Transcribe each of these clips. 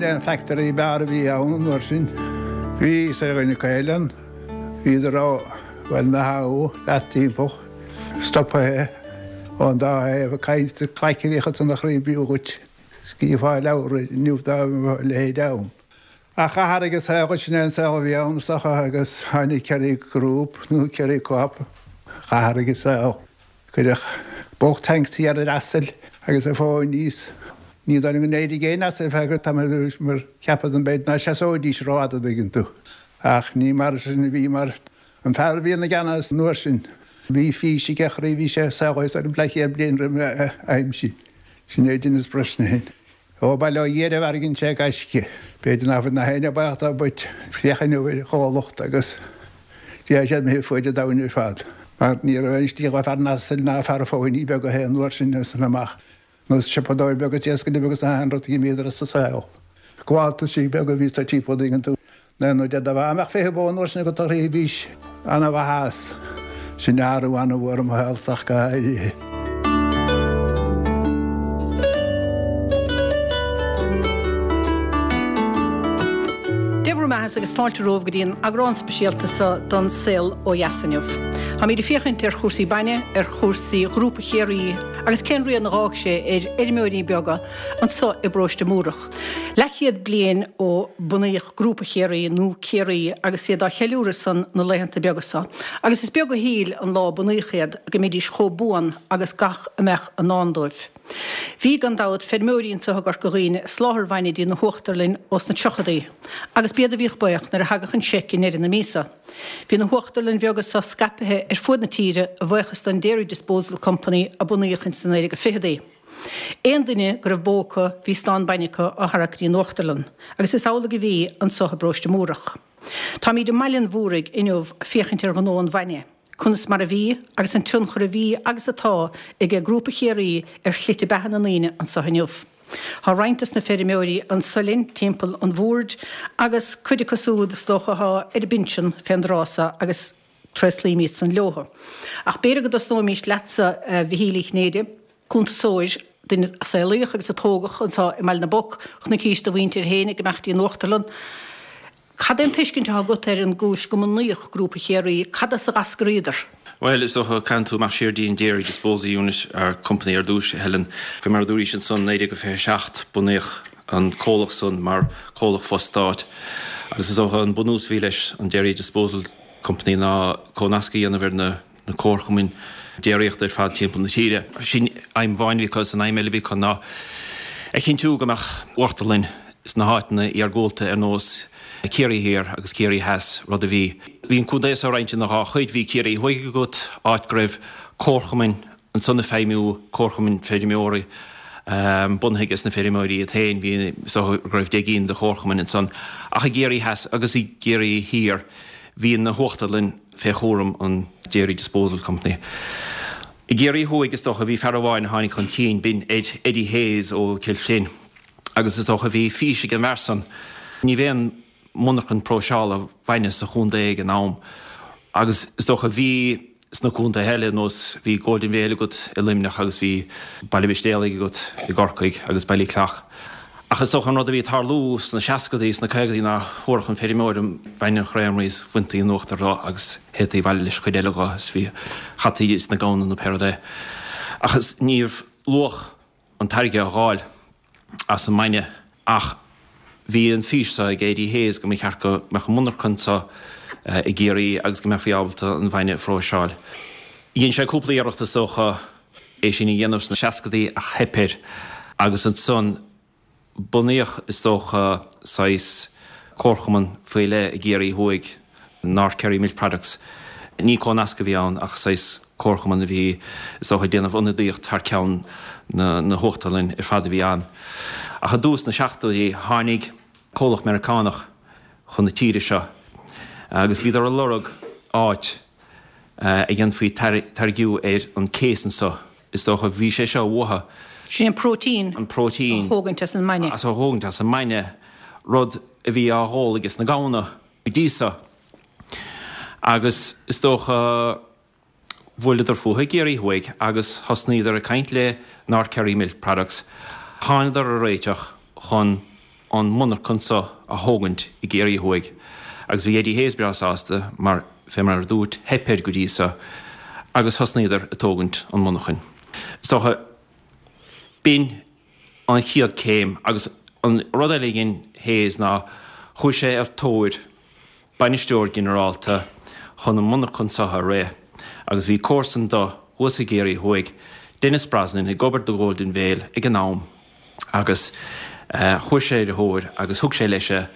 B'in é an factory b'fhearr a bhí ann an uair sin. Bhí fhios ar dhuine acu eile ann. Bhíodar ó Bhaile na hAbha leat timpeall, stoptha ón dá thaobh ag caint, craic a bhíodh ansan a chroí b'fhiú dhuit scríobh leabhar inniu dá mbeadh a leithéid ann. Ach athraigh an saol, sin é an saol a bhí ann is dócha agus tháinig Kerry Group nó Kerry Co-op, athraigh an saol. Cuireadh bulk tanks ar ar asail agus ar phonies. Ní dóigh liom go n-éirigh aon asal feadh tamaill mar cheapadar b'fhéidir ná seasóidís rófhada an dtuigeann tú. Ach ní mar sin a bhí mar an fear a bhí ina gceannas an uair sin bhí fís aige a chroí bhí sé saol is orm leathchéad bliain roimh a aimsir. Sin é Denis Brosnahan. Ó bail ó Dhia air a mhairfidh sé ag gaisce. B'fhéidir nach bhfuil nach éinne baoch dá bpoit féach inniu ar chomhlacht agus déarfaidh siad imithe fuaid an domhain ar fad. Mar ní raibh aon slí dhó fear an asail ná fear an phóiní beag a théann uair sin as san amach. Nó siopadóir beag is iascaire beag is na haon rud d'imíodar as an saol. Gabháltaisí beaga a bhí sa timpeall an dtuigeann tú. Nó nó de do mhaith mbeadh 20 bó an uair sin agat a chroí bhís ana-mhaith as. Sin athrú ana-mhór i mo shaolsa ach go háirithe. Dé bhur mbeatha agus fáilte romhaibh go dtí an eagrán speisialta seo don Saol Ó Dheas inniu. Táimid ag féachaint ar chúrsaí bainne, ar chúrsaí Ghrúpa Chiarraí agus cén rian a dh'fhág sé ar fheirmeoirí beaga anso i bparóiste Múrach. Leathchéad bliain ó bunaíodh Grúpa Chiarraí, nó Ciarraí, agus iad á cheiliúradh san na laethanta beaga seo, agus is beag a shíl an lá a bunaíodh iad go mbeidís chomh buan agus gach a mbeadh i ndán dóibh. Bhí, gan dabht, feirmeoirí anso i gCorca Dhuibhne ag soláthar bhainne dtí na huachtarlainn ós na tríochadaí, agus b'iad a bhíodh baoch nuair a thagadh an seic i ndeireadh na míosa. Bhí na huachtarlainn bheaga seo scaipthe ar fuaid na tíre a bhuíochas don Dairy Disposal Company a bunaíodh ins na 1920idí. Aon duine go raibh bó acu bhí stán bainne acu á tharrac go dtí an uachtarlann, agus is amhlaidh a bhí anso i bparóiste Múrach. Táimíd i mBaile an Mhúraigh inniu ag féachaint ar ghnó an bhainne, conas mar a bhí agus an tionchar a bhí agus atá aige Grúpa Chiarraí ar shlite beatha na ndaoine anso inniu. Tá roinnt dos na feirmeoirí anso linn timpeall an bhoird agus cuid acu súd is dócha atá ar a bpinsean fén dtráth so agus Tréaslaímid san leothu. Ach b'fhéidir go dtosnóimís leatsa, a Mhichíl Uí Chinnéide, cuntasóir, duine a saolaíodh agus a tógadh anseo i mBaile na bPoc, chonaicís do mhuintir féin ag imeacht dtí an uachtarlann. Cad é an tuiscint atá agat ar an gcúis go mbunaíodh Grúpa Chiarraí? Cad as a dh'eascraíodar? Bhuel, is dócha, caitheann tú amach siar dtí an Dairy Disposal Unit or Company ar dtús, a Helen. Fé mar a dúraís ansan, 1927, bunaíodh an comhlacht san mar comhlacht fo-stáit agus is dócha an bunús a bhí leis an Dairy Disposal Company ná comhnasc a dhéanamh ar na comharchumainn déiríochta ar fad timpeall na tíre. Sin aidhm amháin a bhí acu agus an aidhm eile a bhí acu ná a chinntiú go mbeadh uachtarlainn sna háiteanna iargúlta ar nós Ciarraí Thiar agus Ciarraí Theas, rud a bhí. Bhí an contae seo roinnte ina dhá chuid, bhí Ciarraí Thuaidh agat, áit go raibh comharchumainn ansan ag feidhmiú, comharchumainn feirmeoirí bunaithe ages na feirmeoirí iad féin, bhí, is dócha go raibh 10 gcinn de chomharchumainn ansan, ach i gCiarraí Theas agus i gCiarraí Thiar bhí na huachtarlainn fé chúram an Dairy Disposal Company. I gCiarraí Thuaidh is dócha bhí fear amháin a tháinig chun cinn, b'in Ed, Eddie Hayes ó Cill Chloinn agus is dócha bhí fís ag an bhfear san, ní raibh aon monarchan próiseála bainne sa chontae ag an am agus is dócha bhí sna contaetha eile nós bhí Golden Vale agat i Luimneach agus bhí Baile Mhistéalaigh agat i gCorcaigh agus Ballyclough. Ach is dócha an rud a bhí ag tarlú sna seascadaí, sna caogadaí ná thabharfadh an feirmeoir an bainne an chreamery is bhaintí an uachtar dho agus théití abhaile leis an chuid eile dho is bhí chaití sna gamhna nó pé rud é. Ach is ní raibh luach an táirge á dh'fháil as an mbainne ach bhí an fís seo ag Eddie Hayes go mba cheart go mbeadh an mhonarcha anseo i gCiarraí agus go mbeifí ábalta an bhainne a phróiseáil. Dhein sé cúpla iarracht is dócha é sin a dhéanamh sna seascadaí ach theip air agus ansan Bunaíodh, is dócha, saghas comharchumann faoi leith i gCiarraí Thuaidh, North Kerry Milk Products. Ní comhnasc a bhí ann ach saghas comharchumann a bhí, is dócha, ag déanamh ionadaíocht thar ceann na huachtarlainne ar fad a bhí ann. Ach i dtús na seachtóidí tháinig comhlacht Meiriceánach chun na tíre seo agus bhíodar ag lorg áit a dhéanfaí táirgiú ar an casein seo. Is dócha, bhí sé seo uathu. Sin an próitéin. An próitéin. A thógaint as an mbainne. A thógaint as an mbainne, rud a bhí á dh'ól ages na gamhna go dtí so. Agus is dócha, bhuaileadar fúthu i gCiarraí Thuaidh agus thosnaíodar ag caint le North Kerry Milk Products. Thánadar ar réiteach chun. an mhonarcha seo a thógaint i gCiarraí Thuaidh agus bhí Eddie Hayes breá sásta mar, fé mar a dúirt, theip air go dtí so agus thosnaíodar ag tógaint an mhonarchain. Is dócha, b'in an chéad céim agus an rud eile a dhein Hayes ná chuaigh sé ar tóir bainisteoir ginearálta chun an mhonarchain seo a rith agus bhí comharsan do thuas i gCiarraí Thuaidh, Denis Brosnan, ag obair do Golden Vale ag an am. Agus chuaigh sé ar a thóir agus thug sé leis é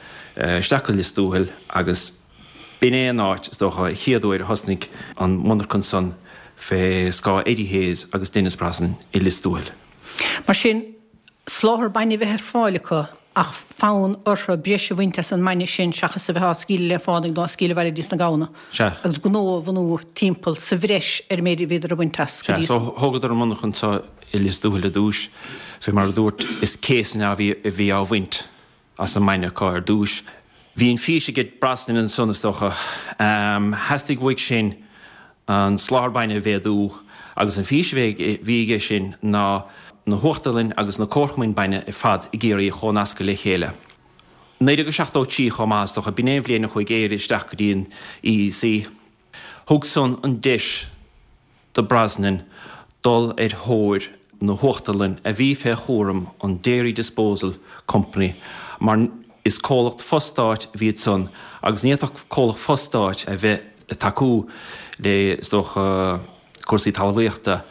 isteach go Lios Tuathail agus b'in é an áit, is dócha, an chéad uair a thosnaigh an mhonarcha san fé scáth Eddie Hayes agus Denis Brosnan i Lios Tuathail. Mar sin, soláthar bainne a bheith ar fáil acu ach fonn orthu breis a bhaint as an mbainne sin seachas a bheith á scaoileadh le fánaidh nó á scaoileadh abhaile dtí sna gamhna. Sea. Agus gnó a bhunú timpeall sa bhreis ar an méid a bhíodar ag baint as go dtí. Sea, so thógadar an mhonarcha seo i Lios Tuathail ar dtúis, fé mar a dúirt, is céasanna a bhí á bhaint as an mbainne acu ar dtúis. Bhí an fís ag Brosnan ansan, is dócha. Theastaigh uaidh sin an soláthar bainne a mhéadú agus an fís a bhí aige sin ná na huachtarlainn agus na comharchumainn bainne ar fad i gCiarraí a chónascadh le chéile. 1973 chomh maith, is dócha, b'in é an bhliain a chuaigh Éire isteach go dtí an EEC. Thug san an deis do Brosnan dul ar thóir na huachtarlainne a bhí fé chúram an Dairy Disposal Company mar is comhlacht fo-stáit a bhí ansan agus ní fhéadfadh comhlacht fo-stáit a bheith ag tacú le, is dócha, cúrsaí talmhaíochta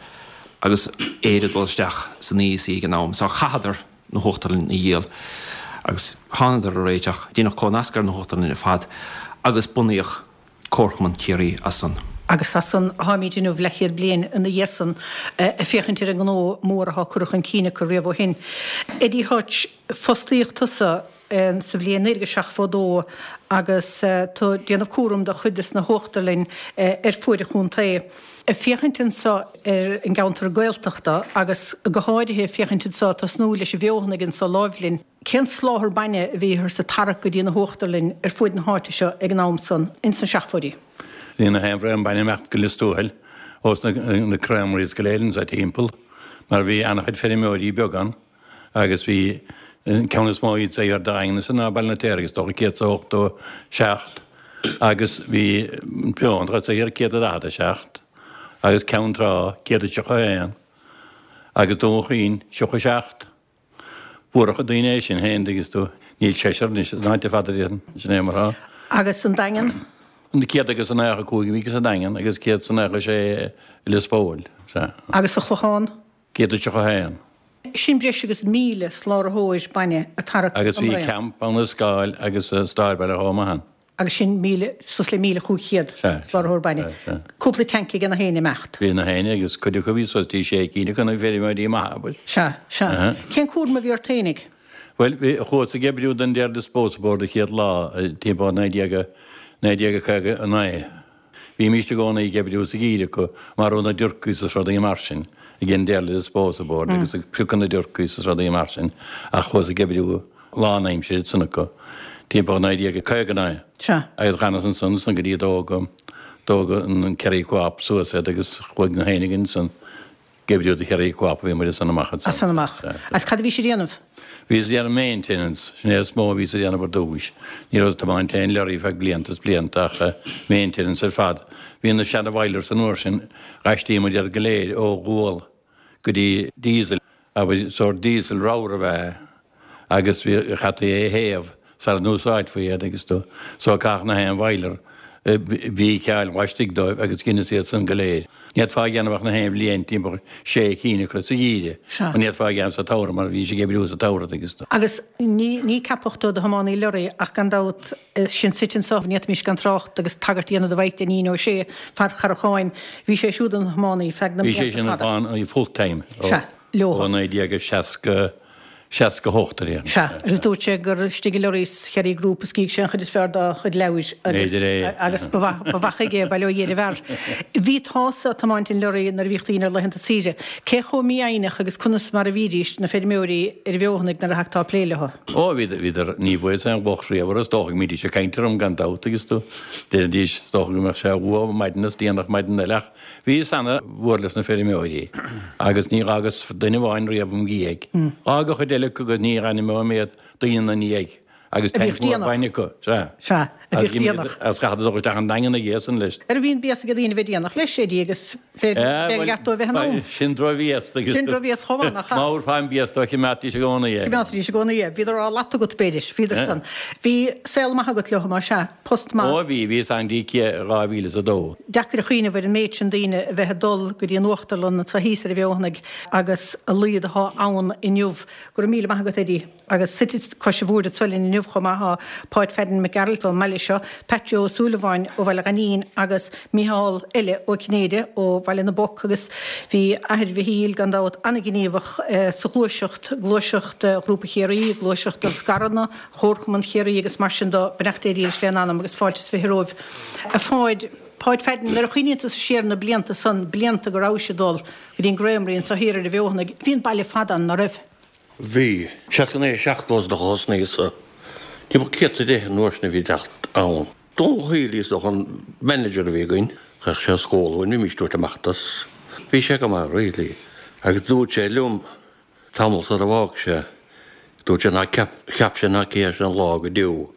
agus Éire ag dul isteach san EEC ag an am. So chaitheadar na huachtarlainn a dhíol agus thánadar ar réiteach, deineadh cónascadh ar na huachtarlainn ar fad agus bunaíodh Comharchumann Chiarraí as san. Agus as san atáimid inniu, leathchéad bliain ina dhiaidh san, ag féachaint ar an ngnó mór atá curtha chun cinn acu riamh ó shin. Eddie Hutch, fostaíodh tusa sa bhliain 1972 agus tú ag déanamh cúram de chuid des na huachtarlainn ar fuaid an chontae. Ag féachaint anso ar an gceantar Gaeltachta agus go háirithe ag féachaint anso, tosnú leis an bhFeothanaigh anso láimh linn. Cén soláthar bainne a bhíothas ag tarrac go dtí na huachtarlainn ar fuaid na háite seo ag an am san, ins na seachtóidí? Bhí na haon bhraon bainne ag imeacht go Lios Tuathail ós na creameries go léir anso timpeall mar bhí ana-chuid feirmeoirí beaga ann agus bhí an ceann is mó iad sa Daingean ansan ná Baile an Fheirtéaraigh is dócha 187 agus bhí an Feothanach anso thiar 147 agus Ceann Trá 131 agus Dún Chaoin 37. Bhuarfadh daoine é sin féin, dtuigeann tú. Níl seisear anois san áit ar fad a déarfainn. Sin é mar atá. Agus an Daingean? An 195 a bhí sa Daingean agus 196 i Lios Póil. Sea. Agus sa Chlochán? 131. Sin breis agus 1,000 sláraitheoir bainne ag tarrac an Agus bhí braon. Camp ann i Scáil agus i Stárbhaile chomh maith ann. Agus sin 1,000, suas le 1,500 sláraitheoir bainne. Cúpla tanc ag na héinne imeacht. Bhí na héinne agus cuid acu bhí suas dtí sé cinn acu na feirmeoirí maithe, abair. Sea, sea. Cén cúram a bhí ort fhéinig? Bhuel, bhí, chuas ag oibriú don Dairy Disposal Board an chéad lá, timpeall 1959. Bhímíst i gcónaí ag oibriú sa gheimhreadh acu, marú na dturcaí is rudaí mar sin, ag an Dairy Disposal Board agus ag piocadh na dturcaí is rudaí mar sin, ach chuas ag oibriú lánaimsire ansan acu, timpeall 1959. Sea. Agus dh'fhanas ansan san go dtí a dtógadh, tógadh an Kerry Co-op suas iad agus chuaigh na héinne againn ansan ag oibriú do Kerry Co-op a bhí muid as san amach ansan. As san amach. Agus cad a bhís ag déanamh? Bhíos ag déanamh maintenance, sin é is mó a bhíos ag déanamh ar dtúis. Ní rabhas ag tiomáint aon lorry feadh blianta is blianta ach maintenance ar fad. Bhí na seana bhoilers an uair sin, d'aistrígh muid iad go léir ó ghual go dtí diesel, abair, sórt diesel ramhar ab ea é agus bhí, chaití é a théamh sara n-úsáidfí iad agus tú, so caitheadh na haon bhoiler bhíceáil laistigh dóibh agus dheineas iad san go léir. Ní fhéadfá a dhéanamh ach na haon bhliain timpeall sé cinn acu sa gheimhreadh, mar ní fhéadfá a dhéanamh sa tsamhradh mar bhí sé ag oibriú sa tsamhradh agus tú. Agus ní, ní ceapadh tú do thiománaí lorraí ach gan dabht, sinn suite anso, ní fhéadfaimis gan trácht agus tagairt a dhéanamh do Mhaidhc Dainín Ó Sé, fear Charracháin. Bhí sé siúd ina thiománaí feadh na mblianta fada. Bhí sé sin ina full time ó, ó 1960. 68 a déarfainn. Sea, agus dúirt sé gur istigh i lorraí sa Kerry Group a scrígh sé an chuid is fearr dá chuid leabhair agus agus ba mhaith ba mhaith chuige é, bail ó Dhia ar an bhfear. Bhí tusa ag tiomáint an lorraí nuair a bhíodh daoine ar laethanta saoire. Cé chomh mífhoighneach agus conas mar a bhídís, na feirmeoirí ar an bhFeothanaigh nuair a thagtá ag plé leo? Ó, bhíodar, bhíodar, ní bhfuaireas aon locht riamh orthu, is dócha go mbídís ag caint orm gan dabht agus tú, deiridís, is dócha go mbeadh sé luath maidin is déanach maidin eile ach Bhíos ana mhór leis na feirmeoirí agus ní dh'fhágas duine amháin riamh im dhiaidh. D'fhág an chuid eile. eile acu agus ní ainmneoidh mé iad, daoine ina ndiaidh agus A bhíodh tanc mór déanach. bainne acu, sea. Sea, a bhíodh Agus déanach. Agus chaithfeadar dul isteach an Daingean ag iadsan leis. Ar bhí an béas ag daoine a bheith déanach leis, Eddie, agus b'é ba cheart dóibh bheith in am. Sin drochbhéas. Sin drochbhéas chomh maith, nach ea? Má thabharfá an béas dóibh, choimeádtaís i gcónaí é. Choimeádtaís i gcónaí é. Bhíodar á latadh agat, b'fhéidir. Bhíodar san. Bhí saol maith agat leo, más ea. Post maith. Ó bhí, bhíos ann go dtí 2002. Deacair a chuimhneamh ar an méid sin daoine a bheith ag dul go dtí an uachtarlann anseo thíos ar an bhFeothanaigh agus a laghad atá ann inniu. Go raibh míle maith agat, Eddie. Agus suite cois an bhoird anseo linn inniu chomh maith tá Páid Pheaidín Mac Gearailt ón mbaile seo, Pat Joe Ó Súilleabháin ó Bhaile Ghainín agus Micheál eile Ó Cinnéide ó Bhaile na bPoc agus bhí athair Mhichíl gan dabht an-ghníomhach sa ghluaiseacht, gluaiseacht Ghrúpa Chiarraí, gluaiseacht na scaireanna, Chomharchumann Chiarraí agus mar sin de. Beannacht Dé dhílis lena anam agus fáilte is 20 romhaibh. A Pháid, Páid Pheaidín, nuair a chuimhníonn tusa siar ar na blianta san, blianta go rabhais ag dul go dtí an Creamery anseo thiar ar an bhFeothanaigh, bhí an baile fada ann, ná raibh? Bhí. 69, 70 is dócha thosnaíos-sa. Timpeall 110 an uair sin a bhí ag teacht ann. Dónal Healy is dócha an manager a bhí againn. Chuir sé scóladh uainn, bhímis ag tabhairt amach as. Bhí sé go maith really. Agus dúirt sé liom tamall sar a bhfág sé, dúirt sé ná ceap, cheap sé ná cífeadh sé an lá go deo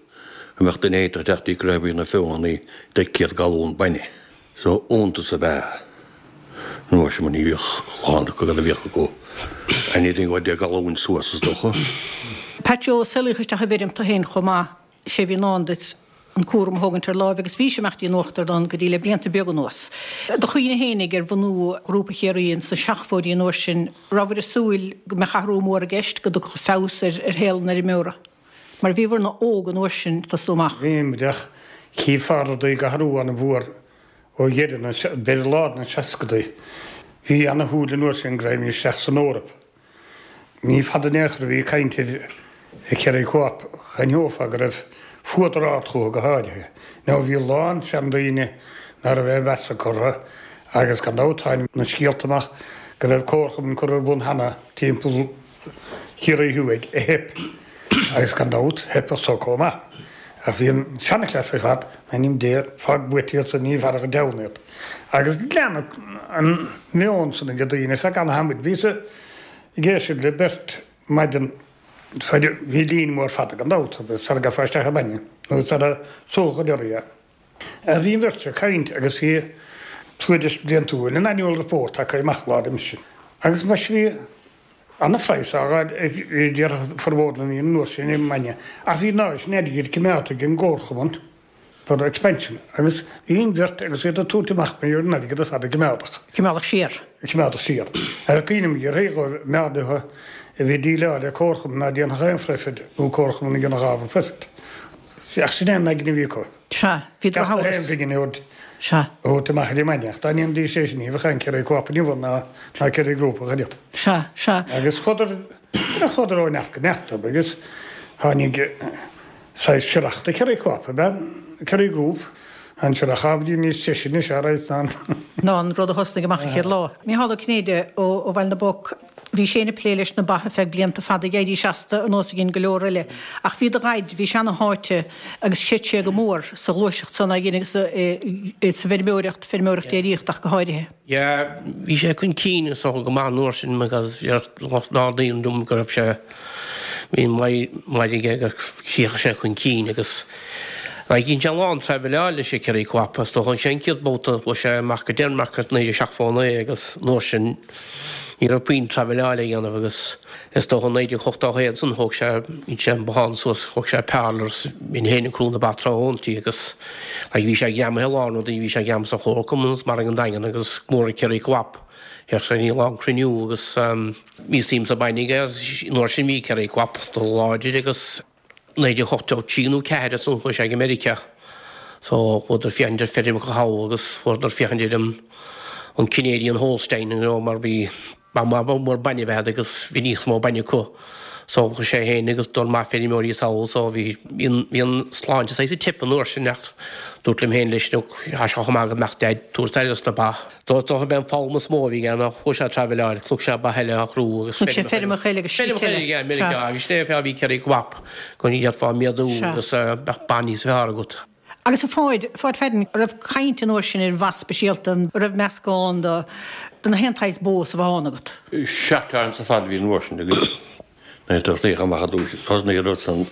go mbeadh duine éicint ag teacht dtí Creamery na Feothanaí le 100 galún bainne. So iontas ab ea an uair sin mar ní bhíodh a lán acu cad a bhíodh acu anything ó 10 galúin suas is dócha. Pat Joe, saolaíodh isteach i bhfeirm tú féin chomh maith, sé a bhí i ndán duit an cúram a thógaint ar láimh agus bhís ag imeacht dtí an uachtarlann go dtí le blianta beaga anuas. Do chuimhne fhéinig ar bhunú Ghrúpa Chiarraí ins na seachmhóidí an uair sin, rabhair ag súil go mbeadh athrú mór i gceist, go dtiocfadh feabhas ar shaol an fheirmeora? Mar bhíobhair-ne óg an uair sin ag tosú amach. Bhí muid ach chífeá rudaí ag athrú an-mhór ó dheireadh na, b'fhéidir lár na seascadaí. Bhí ana-shúil an uair sin go raghaimís isteach san Eoraip. Ní fada in aon chor a bhí caint ar Kerry Co-op, d'aithneofá go raibh fuadar ard chucu go háirithe. Now bhí a lán seandaoine ná raibh aon mheas acu orthu agus gan dabht tháinig na scéalta amach go raibh comharchumann curtha ar bun cheana timpeall Chiarraí Thuaidh a theip agus gan dabht theip anso comh maith. Ach bhí an seanchleas ar fad, in ainm Dé, fág buaite iad san ní bhearrfadh an deamhan iad. Agus leanadh an meon san ag daoine ar feadh ana-thamaill. Bhíos ag éisteacht le beirt maidin bhí líne mór fada gan dabht sara gcaithfeá isteach an bainne nó sara súfadh an lorry é. Bhí an bheirt ag caint agus bhí tuairisc bhliantúil, an annual report acu amach lá roimis sin. Agus muis bhí ana-phraghas á fháil ag déarfadh formhór na ndaoine an uair sin ar an mbainne. Ach bhí an oiread sin airgid coimeádta ag an gcomharchumann for expansion agus bhí an bheirt agus iad ag tabhairt amach mar an airgead ar fad a coimeádadh. Coimeádadh siar. Coimeádadh siar. Agus cuimhním ar thaobh mb'fhearr leo a bhí ag déileáil le comharchumann ná déanfadh aon phroifid nó comharchumann a dhéanfadh ábhar proifid. Ach sin é an aigne a bhí acu. Sea, bhí droch-amhras. Gach aon phingin a thabhairt Sea. a thabhairt amach ar an mbainne. Ach dá ndéanfaidís é sin, ní bheadh aon Kerry Co-op inniu ann ná ná Kerry Group ach oiread. Sea, sea. Agus chuadar, chuadar ó neart go neart agus tháinig saghas siorach de Kerry Co-op, ab ea? Kerry Group. An siorach ábhairín níos treise anois, alright, ná an. ná an rud a thosnaigh amach an chéad lá. Micheál Ó Cinnéide ó Bhaile na bPoc. Bhí sé ag plé leis na ba ar feadh blianta fada, ag éirí seasta ar nós a dhein go leor eile. Ach bhí do dhaid, bhí sé ana-sháite agus chreid sé go mór sa ghluaiseacht san agus sa bhfeirmeoireacht, feirmeoireacht déiríochta ach go háirithe. Yeah, bhí sé chun cinn is dócha go maith an uair sin because deir a lán daoine liom go raibh sé, bhí maith aige go chífeadh sé chun cinn agus like dhein sé a lán traibhleáil leis an Kerry Co-op is dócha an chéad babhta chuaigh sé amach go Denmark i 1979 agus an uair sin Ní raibh puinn traibhleáil a dhéanamh agus is dócha 1981 ansan thóg sé, dhein sé an bothán suas, thóg sé parlour agus bhínn féin ag crú na ba tráthnóintí agus like bhí sé greamaithe i lár rudaí, bhí sé greamaithe sa chomharchumann agus mar ag an Daingean agus go mór ag Kerry Co-op. Théadh sé go dtí a lán cruinniú agus bhí suim sa bainne aige agus an uair sin bhí Kerry Co-op láidir agus 1983 nó 4 ansan chuaigh sé go Meiriceá. So chuadar féachaint ar feirmeacha thall agus chuadar féachaint ar an an Canadian Holstein you know mar bhí ba mhór bainne a bheith agus bhí níos mó bainne acu. So chuaigh sé féin agus dul maith feirmeoirí sall so bhí bhí an sláinte saghas ag teip an uair sin ach dúirt liom féin leis look tá sé chomh maith go mbeadh Daid tabhairt aire dos na ba. Dócha b'é an foghlaim is mó a bhí aige ná chuaigh sé ag traibhleáil, chonaic sé ba eile á chrú agus Chonaic sé feirmeacha eile agus slite eile. Feirmeacha eile, Meiriceá agus sin é an fáth a bhí Kerry Co-op, go bhféadfá méadú agus bheadh ba níos fearr agat. Agus a Pháid, Pháid Pheaidín, an raibh caint an uair sin ar bha speisialta, an raibh meascán de na haon tsaghas bó is a bheadh ann agat? Seacht ar fad a bhí an uair sin againn. Nuair a tosnaíodh amach ar dtús, thosnaigh an rud san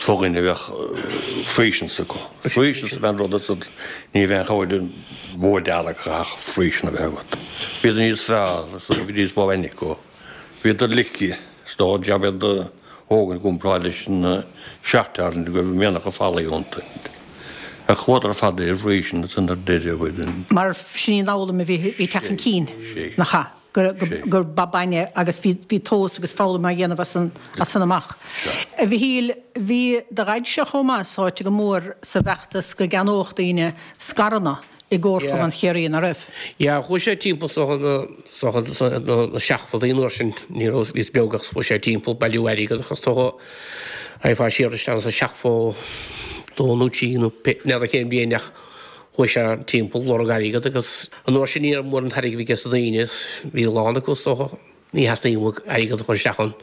fo dhuine a bheadh Friesians acu. Friesians ab ea an rud ansan, ní bheadh aon chabhair an bhó dearg ach Friesian a bheith agat. Bhíodar níos fearr, is dócha, bhí níos mó bainne acu. Bhíodar lice, is dócha, jab iad a thógaint i gcomparáid leis an Shorthorn go raibh mianach an falaí iontu. Ach chuadar ar fad ar Friesian ansan ar deireadh. Mar sin í an fhoghlaim a bhí ag teacht chun cinn, nach ea? gur ba bainne agus bhí tomhas agus foghlaim á dhéanamh as san amach. A Mhichíl, bhí do dhaidse chomh maith sáite go mór sa bhfeachtas go gceannódh daoine scaireanna i gComharchumann Chiarraí, nach raibh? Yeah, chuaigh sé timpeall sa na seachtóidí an uair sin, ní raibh, bhíos beag ach chuaigh sé timpeall bailiú airgead agus dócha raghfá siar isteach sa 72 nó 3 nó n'fheadar cén bhliain ach Chuaigh sé timpeall lorg airgead agus an uair sin ní raibh mórán airgid aige sna daoine is bhí a lán acu is dócha ní theastaíonn uaidh airgead a chur isteach ann.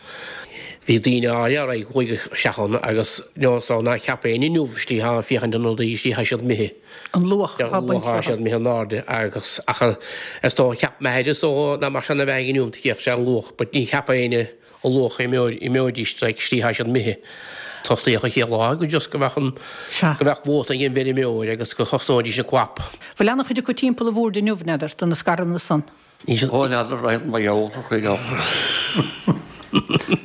Bhí daoine áirithe a raibh chuaigh isteach ann agus you so ná cheap éinne inniu istigh ag féachaint ar na rudaí istigh tá siad imithe. An luach atá bainte Luach tá siad imithe in airde agus ach is dócha cheap m'athair is dócha nach mbeadh sé ina bheathaidh inniu chífeadh sé an luach but ní cheap éinne an luach imeoidís like istigh tá siad imithe. Tosnaíodh an chéad lá go just go mbeadh an go mbeadh vóta ag an bhfeirmeoir agus go thosnóidís an co-op. Bhfuil ana-chuid acu timpeall an bhoird inniu, n'fheadar, de na scaireanna san? Ó, n'fheadar, mar gheall ar chuid acu.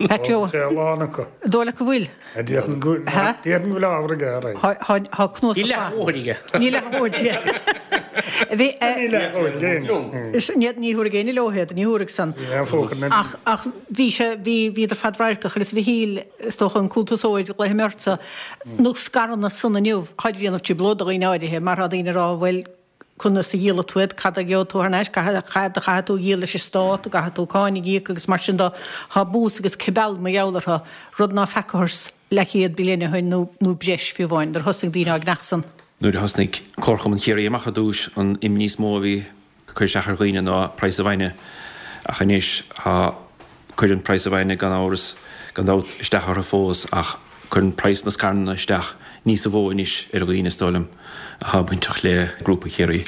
Pat Joe. Tá a lán acu. An dóigh leat go bhfuil? Déarfainn go bhfuil ábhar aige, ar aghaidh. Tá cnuasach Níl leath a dhóthain aige. Níl leath a dhóthain aige. Bhí. Níl leath a dhóthain éinne. Ní thabharfaidh éinne leo iad, ní thabharfaidh san. Ach, ach bhí sé, bhí, bhíodar fadradharcach agus a Mhichíl, is dócha an cuntasóir, glaofaidh mé ortsa, na scaireanna san inniu, táid ag déanamh trioblóid do dhaoine áirithe mar tá daoine ag rá, bhuel, conas a dhíolfaidh tú iad, cad a gheobhaidh tú thar n-ais, cad a chaithfidh tú a dhíol leis an stát, an gcaithfidh tú cáin a íoc agus mar sin de. Tá bús agus cibeal mar gheall orthu, rud ná feacathas leathchéad bliain ó shin nó nó breis fiú amháin, nuair a thosaigh daoine á gceannach san. Nuair a thosnaigh Comharchumann Chiarraí amach ar dtús, an imní is mó a bhí ag cur isteach ar dhaoine ná praghas an bhainne ach anois tá, cuireann praghas an bhainne gan amhras, gan dabht, isteach orthu fós ach cuireann praghas na scaireanna isteach níosa mhó anois ar dhaoine, is dóigh liom, atá bainteach le Grúpa Chiarraí.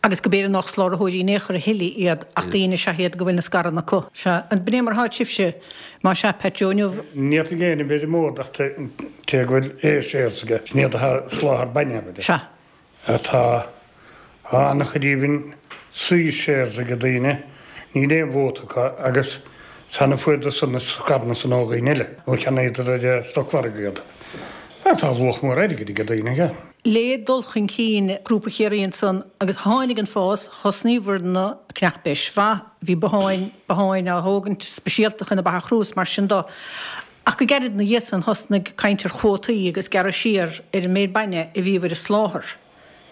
Agus go b'fhéidir nach sláthraitheoirí in aon chor a thuilleadh iad ach daoine is ea iad go bhfuil na scaireanna acu. Sea. An b'in é mar atá sibhse, más ea, Pat Joe, inniu? Ní fhéadfaidh éinne b'fhéidir mór ach té go bhfuil A shares aige, sin iad atá ag soláthar bainne, abair. Sea. Tá an-chuid even C shares ag daoine, níl aon vóta acu agus san a fuaireadar san na scaireanna san ó dhaoine eile, nó cheannaíodar ar an stocmhargadh iad. Tá luach mór airgid ag daoine aige. Le dul chun cinn Grúpa Chiarraí ansan agus tháinig an fás, thosnaíobhair na ceannach beis mhaith, bhí botháin, botháin á thógaint speisialta chun na ba a chrú is mar sin do. Ach go gairid ina dhiaidh san thosnaigh caint ar chuótaí agus gearradh siar ar an méid bainne a bhíobhair a soláthar.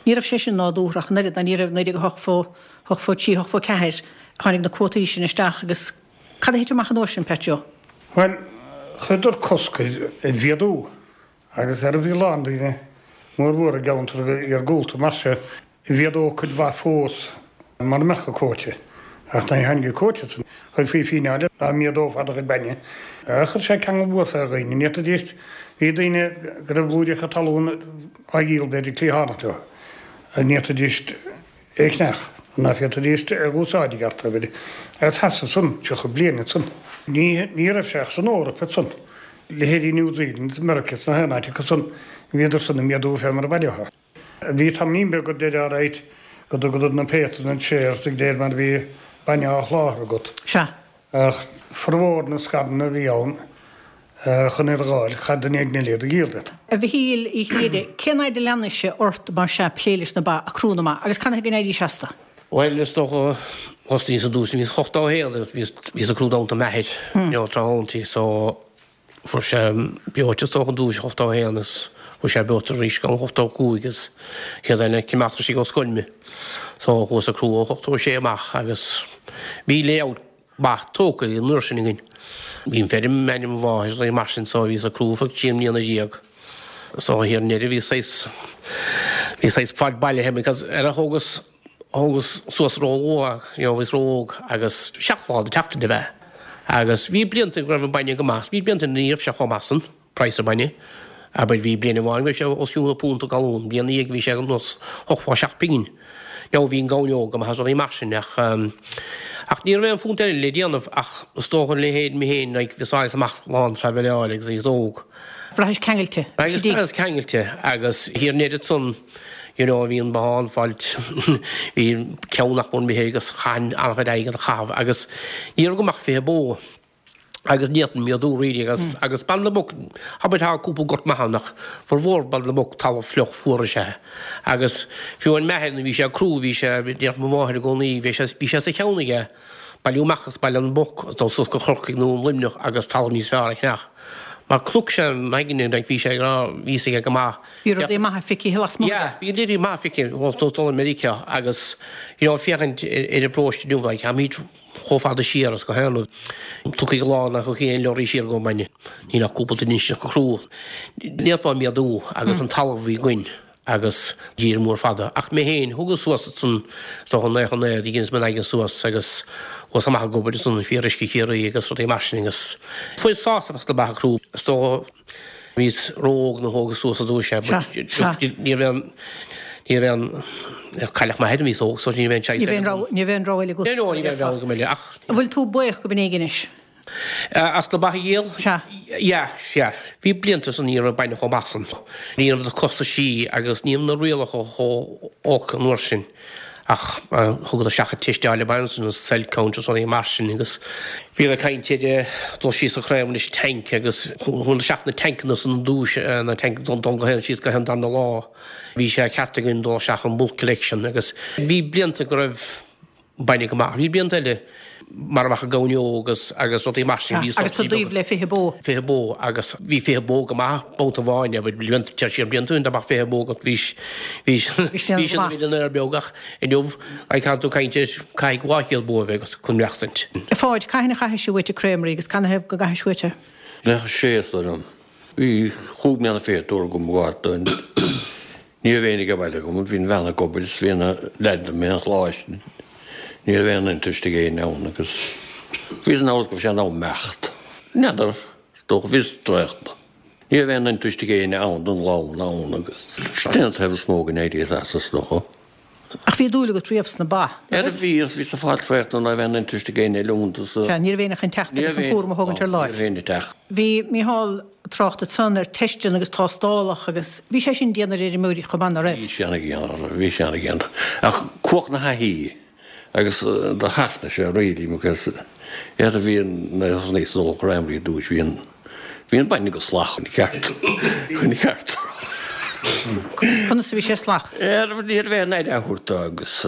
Ní raibh sé sin nádúrtha ach an oiread, ná ní raibh, 1983, 84, tháinig na cuótaí sin isteach agus cad a thit amach an uair sin, Pat Joe? Bhuel, chuireadar cosc ar mhéadú Agus ar bhí a lán daoine mór mhór i gceantar iargúlta mar seo mhéadódh cuid mhaith fós mura mbeadh an cuóta. Ach nuair a tháinig an cuóta san, chuirfí fíneáil dá méadófá do chuid bainne. Chuir sé ceangal mhór fé dhaoine. Ní fhéadfaidís, bhí daoine go raibh blúiríocha talún á dhíol b'fhéidir cliathánach leo. Ní fhéadfaidís é a cheannach, ná féadfaidís é a dh'úsáid i gceart, abair. Agus sheasaimh san 30 bliain ansan. Ní, ní raibh sé ach san Eoraip ansan. Leithéidí New Zealand, Meiriceá is na haon áit acu san, bhíodar san ag méadú fé mar a ba leo. Bhí tamaillín beag go deireadh alright go dtugadar na péacadh na shares de réir mar a bhí bainne á sholáthar agat. Sea. Ach formhór na scaireanna a bhí ann chun iad a dh'fháil, chaith duine éigin eile iad a dhíol duit. A Mhichíl Uí Chinnéide, cén fhaid a leanais-se ort mar sea plé leis na ba, ag crú na mba, agus canathaobh go n-éiríos astu? Bhuel, is dócha, thosnaíos ar dtús, bhíos 81 agus bhíos, bhíos ag crú damanta m'athair, you know, tráthnóntaí, so fuair sé breoite is dócha ar dtús, 81 is fuair sé breoite arís go 85 is chéad duine a cimeád istigh ó scoil mé. So chuas ag crú ó 86 amach agus bhí layout maith tógtha an uair sin againn. Bhí an feirm in ainm mo mháthair agus mar sin so bhíos ag crú feadh trí mbliana dhéag. So thiar i ndeireadh bhí saghas, bhí saghas fad bailithe because ar a thógas, thógas suas ró-luath, you know, bhíos ró-óg agus seacht lá den tseachtain a bheith. Agus bhí blianta go raibh an bainne go maith, bhí blianta ní raibh sé chomh maith san. praghas an bhainne. Abair, bhí bliain amháin go raibh sé os cionn punt an galún, bliain ina dhiaidh bhí sé ar nós 87 pingin. Now bhí an gamhain óg go maith is rudaí mar sin ach. Ach ní raibh aon phunt eile le déanamh ach is dócha a leithéid mé féin like bhíos áthas amach lán traibhéileáil agus bhíos óg. Bhraithis ceangailte. Bhraithis bhraitheas ceangailte agus thiar in Éirinn ansan you know bhí an bothán fáilt bhí ceann nach mór imithe agus chaithfinn an-chuid airgead a chaitheamh agus ní raibh agam ach 20 bó. agus ní fhéadfainn méadú really agus agus Baile na Muc abair tá cúpla gort maith ann ach formhór Baile na Muc talamh fliuch fuar is ea é agus fiú amháin m'athair nuair a bhí sé crua bhí sé déarfadh mo mháthair i gcónaí bhí sé bhí sé sa cheann aige bailiú amach as Baile na Muc agus dul suas go Corcaigh nó Luimneach agus talamh níos fearr a cheannach mar chonaic sé an aigne like bhí sé ag rá bhí fhios aige go maith Bhí rudaí maithe feicthe lasmuigh aige. Yeah bhí rudaí maithe feicthe dul i Meiriceá agus you know féachaint ar an bparóiste inniu like táimid chomh fada siar is go haon rud. Tiocfaidh an lá nach bhfaighidh aon leoraí siar go mbainne. Níl ach cúpla duine istigh go crua. Ní fhéadfá méadú agus an talamh a bhí againn agus dír mór fada. Ach mé féin, thugas suas ansan is dócha 99, dheineas m'aigne suas agus chuas amach ag obair ansan i Fíoruisce Chiarraí agus rudaí mar sin agus fuaireas sásamh as na beatha crua. Is dócha Bhíos ró-óg nuair a thógas suas ar dtúis é but ní raibh aon, ní raibh aon, cailleadh m'athair nuair a bhíos óg so ní raibh aon choice eile agam. Ní raibh aon rogha eile agat. No, ní raibh aon rogha agam eile ach. An bhfuil tú buíoch go binn éigin anois? As na ba a dhíol? Sea. Yeah, yeah. Bhí blianta ansan ní raibh bainne chomh maith san. Ní raibh na costaisí agus ní raibh na rialacha chomh olc an uair sin. Ach thugadar isteach an teisteáil ab ansan an cell count agus rudaí mar sin agus bhíodar ag caint ar dul síos an Creamery leis an tank agus chuadar isteach na tancanna san an dtús, na tank dul go haon síos go haon darna lá. Bhí sé ceart againn dul isteach an bulk collection agus bhí blianta go raibh bainne go maith. Bhí blianta eile mar a bheadh i gCamhain agus agus rudaí mar sin. Bhí Agus tú taobh le 20 bó. 20 bó agus bhí 20 bó go maith babhta amháin abair blianta téir siar blianta ó shin dá mbeadh 20 bó agat bhí bhí bhí sin a mhillionaire beag ach inniu like tá tú ag caint ar caithfidh 200 bó a bheith agat chun maireachtaint. A Pháid, cathain a chaithis uait an Creamery agus canathaobh go gcaithis uait é? 96 is dóigh liom. Bhí chúig mbliana fichead uair agam go Ní raibh éinne ag baile agam, bhí an bhean ag obair is bhí na leaids i an choláiste. Ní raibh aon interest ag éinne ann agus bhíos in amhras go raibh sé in am imeacht. N'fheadar, is dócha, bhíos traochta. Ní raibh aon interest ag éinne ann don ghleann ann agus sin an taobh is mó go n-éiríos as, is dócha. Ach bhí dúil agat riamh sna ba, nach raibh? Bhí, agus bhíos ag fáil traochta ná raibh aon interest ag éinne eile iontu so. Sea, ní raibh éinne chun teacht agus an cúram a thógaint ar láimh. Ní raibh éinne ag teacht. Bhí Micheál ag trácht ansan ar teisteanna agus tástálacha agus bhí sé sin dian ar fheirmeoirí chomh maith, ná raibh? Bhí sé ana-dhian, bhí sé ana-dhian. Ach cumhacht na thaithí agus do theastaigh sé really because ar a bhí an thosnaíos ag dul Creamery ar dtúis bhí an Bhí an bainne go salach chun ceart. Chun ceart. Conas a bhí sé salach? Ní raibh aon aire á thabhairt dó agus.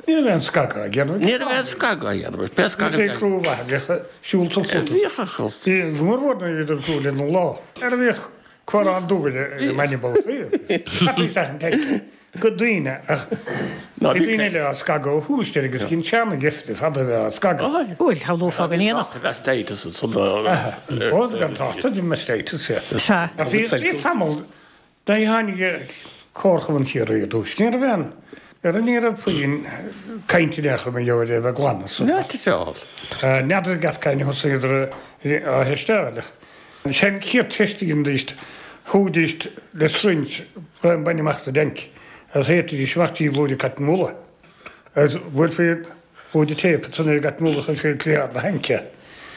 Ní raibh aon scagadh á dhéanamh. Ní raibh aon scagadh á dhéanamh. Pé scagadh a bhí. Bhí crú mhaith a bhíodh siúl sa phluda. Bhíodh a chur. Bhí go mór mhór nuair a bhíodar ag crú lena lá. Ar a bhíodh cumhrán dubh ar an mbainne babhtaí. Cad é an teist? go daoine ach bhí daoine eile á scagadh ó thús deireadh agus cinn seana geimhridh fada a bheith á scagadh. Bhuel, shamhlófá go ndéanfadh. Mastitis ansan. Ó, gan trácht ar mastitis, sea. Sea. Ach bhí bhí tamall nuair a tháinig Comharchumann Chiarraí ar dtús, ní raibh aon, ar ní raibh puinn cainte in aon chor mar gheall ar é a bheith glan as. N'fheadar i gceart cathain a thosaíodar á theisteáil ach Sé an chéad teist a dheinidís, thógaidís le syringe braon bainne amach as an dtanc agus théitidís amach dtí blúire cotton wool agus bhuailfí blúire téip ansan ar an gcotton wool agus chuirfí ar cliathán na haince.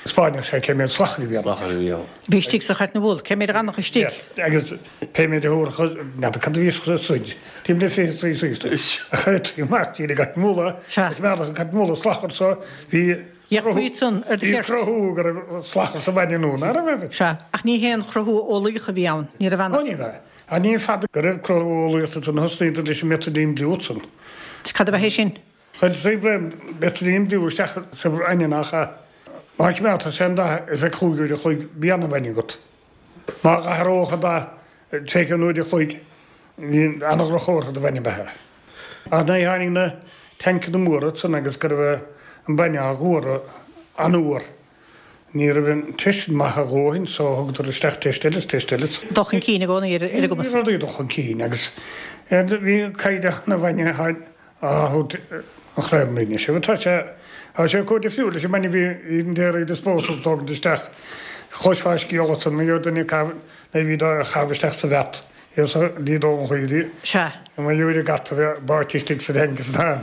Spáinfeadh sé cé méad slachair a bhí ann. Bhí istigh sa chotton wool, cé méad a d'fhanfadh istigh. Agus pé méid a thabharfadh, n'fheadar cad a bhí sa syringe, timpeall le 20 cc a chuirtí amach dtí an gcotton wool agus mheallfadh an cotton wool an slachar so bhí Bheadh faoi san ar do Bhí cheirt. cruthú go raibh slachar sa bhainne nó nach raibh. Sea, ach ní haon chruthú eolaíoch a bhí ann, ní raibh ann Ó ní raibh. Ach ní fada go raibh cruthú eolaíoch ansan thosnaíodar leis an methylene blue san. Is cad ab ea é sin? Chuirtí braon methylene blue isteach sa bhainne nach ea. Má choimeádtar sé an dath ar feadh chúig uair a chloig bhí ana-bhainne agat. Má dh'athródh an dath tar éis ceann uair a chloig bhí ana-dhroch-chomhartha do bhainne beatha. Ach nuair a tháinig na tancanna móra ansan agus go raibh an bainne á dh'fhuaradh an-fhuar, ní raibh an teist sin maith a dhóthain so thugadar isteach teist eile is teist eile. Dul chun cinn i gcónaí ar a gcumas. Bhí rudaí ag dul chun cinn agus bhí caighdeán an bhainne á thabhairt an Chreamery anois. Agus tá sé, tá sé chomh difriúil leis an mbainne a bhí in Dairy Disposal tógaint isteach. Chloisfeá scéal ansan, mar gheall duine ag caitheamh, nuair a bhí á chaitheamh isteach sa vat. Is ní dóigh liom. Sea. Mar gheall ar an gcat a bheith báite istigh sa tank is na.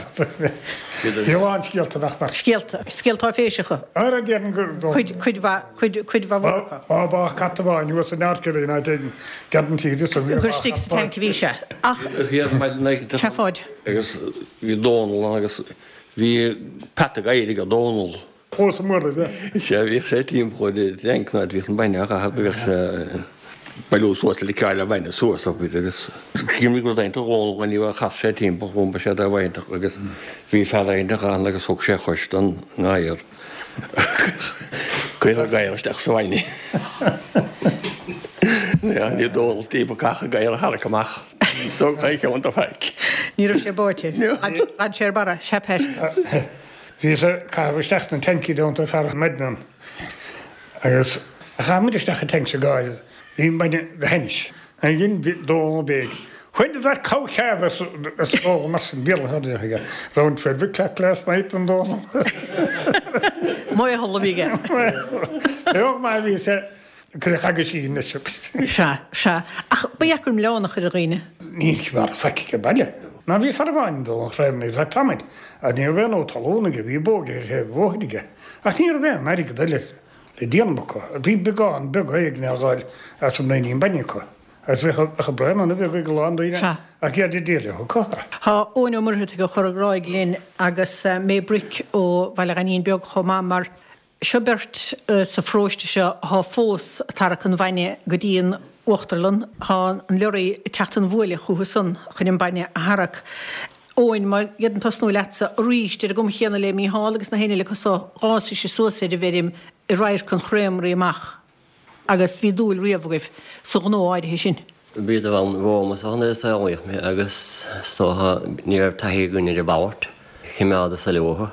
Bhí a lán scéalta nach mbeadh. Scéalta. Scéalta áiféiseacha. Ar a déarfainn gur dóigh. Cuid, cuid mhaith, cuid, cuid mhaith mhór acu. Má bádh cat amháin thuas in Ard in áit éigin, cead an tír is a Gur istigh sa tank a bhí sé. Ach. Sea, a Pháid. Agus bhí Dónal ann agus bhí peata gadhair ag Dónal. Fós i mBuirne. Sea, bhíodh sé timpeall ar an tank nuair a bhíodh an bainne á chaitheamh, bhíodh sé ag bailiú suas le liceáil an bhainne suas abair agus cuimhnigh rud iontach Dhónal inniu a chas sé timpeall dhom, ba sé do bhainteach agus bhí fear iontach ann agus thug sé chois don ngadhar. Cuireadh an gadhar isteach sa bhainne. Ní Dónal timpeall gach gadhar a tharrac amach. Thug sé cheann do faic. Ní raibh sé báite. D'fhan sé ar barra, sea Pat. Bhíos ag caitheamh isteach na tancaí déanta fear maidin ann agus chaith muid isteach an tanc sa gáire bhí an bainne go hainnis. An dhein Dónal béic. When did that cow calve as Dónal mar sin Béarla a bhí aige. Round 12 o'clock last night an Dónal. Maothal a bhí aige. Beag maith a bhí sé. Cuireadh aguisín leis agus. Sea, sea. Ach ba dheacair milleán a chur ar dhaoine. Ní raibh faic aige baile. Ná bhí fear amháin ag dul an chraobh ar feadh tamaill, ach ní raibh aon fhód talún aige, bhí bó aige ar thaobh an bhóthair aige. Ach ní raibh aon airgead eile le déanamh acu. Bhí beagán beag éigin á dh'fháil as an mbraoinín bainne acu. Agus bheadh braon ana-bheag ag a lán daoine Sea. ach iad ag díol acu. Tá Eoin Ó Muircheartaigh ó Chorr an Ghráig linn agus May Bric ó Bhaile Ghainín Beag chomh maith mar Seo beirt sa pharóiste seo athá fós ag tarrac an bhainne go dtí an uachtarlann. Thá an leoraí ag teacht an bhuaile chúthu san chun an bainne a tharrac. Eoin, má d'fhéadfainn tosnú leatsa arís, ar an gcuma chéanna le Mícheál agus na héinne eile acu so, dh'fhásaís suas ar an bhfeirm i radharc an chreamery amach. Agus bhí dúil riamh agaibh sa ghnó áirithe sin. Bhíodar ann romham is nuair a saolaíodh mé agus is dócha ní raibh taithí againn ar a mhalairt. Choimeádas leo.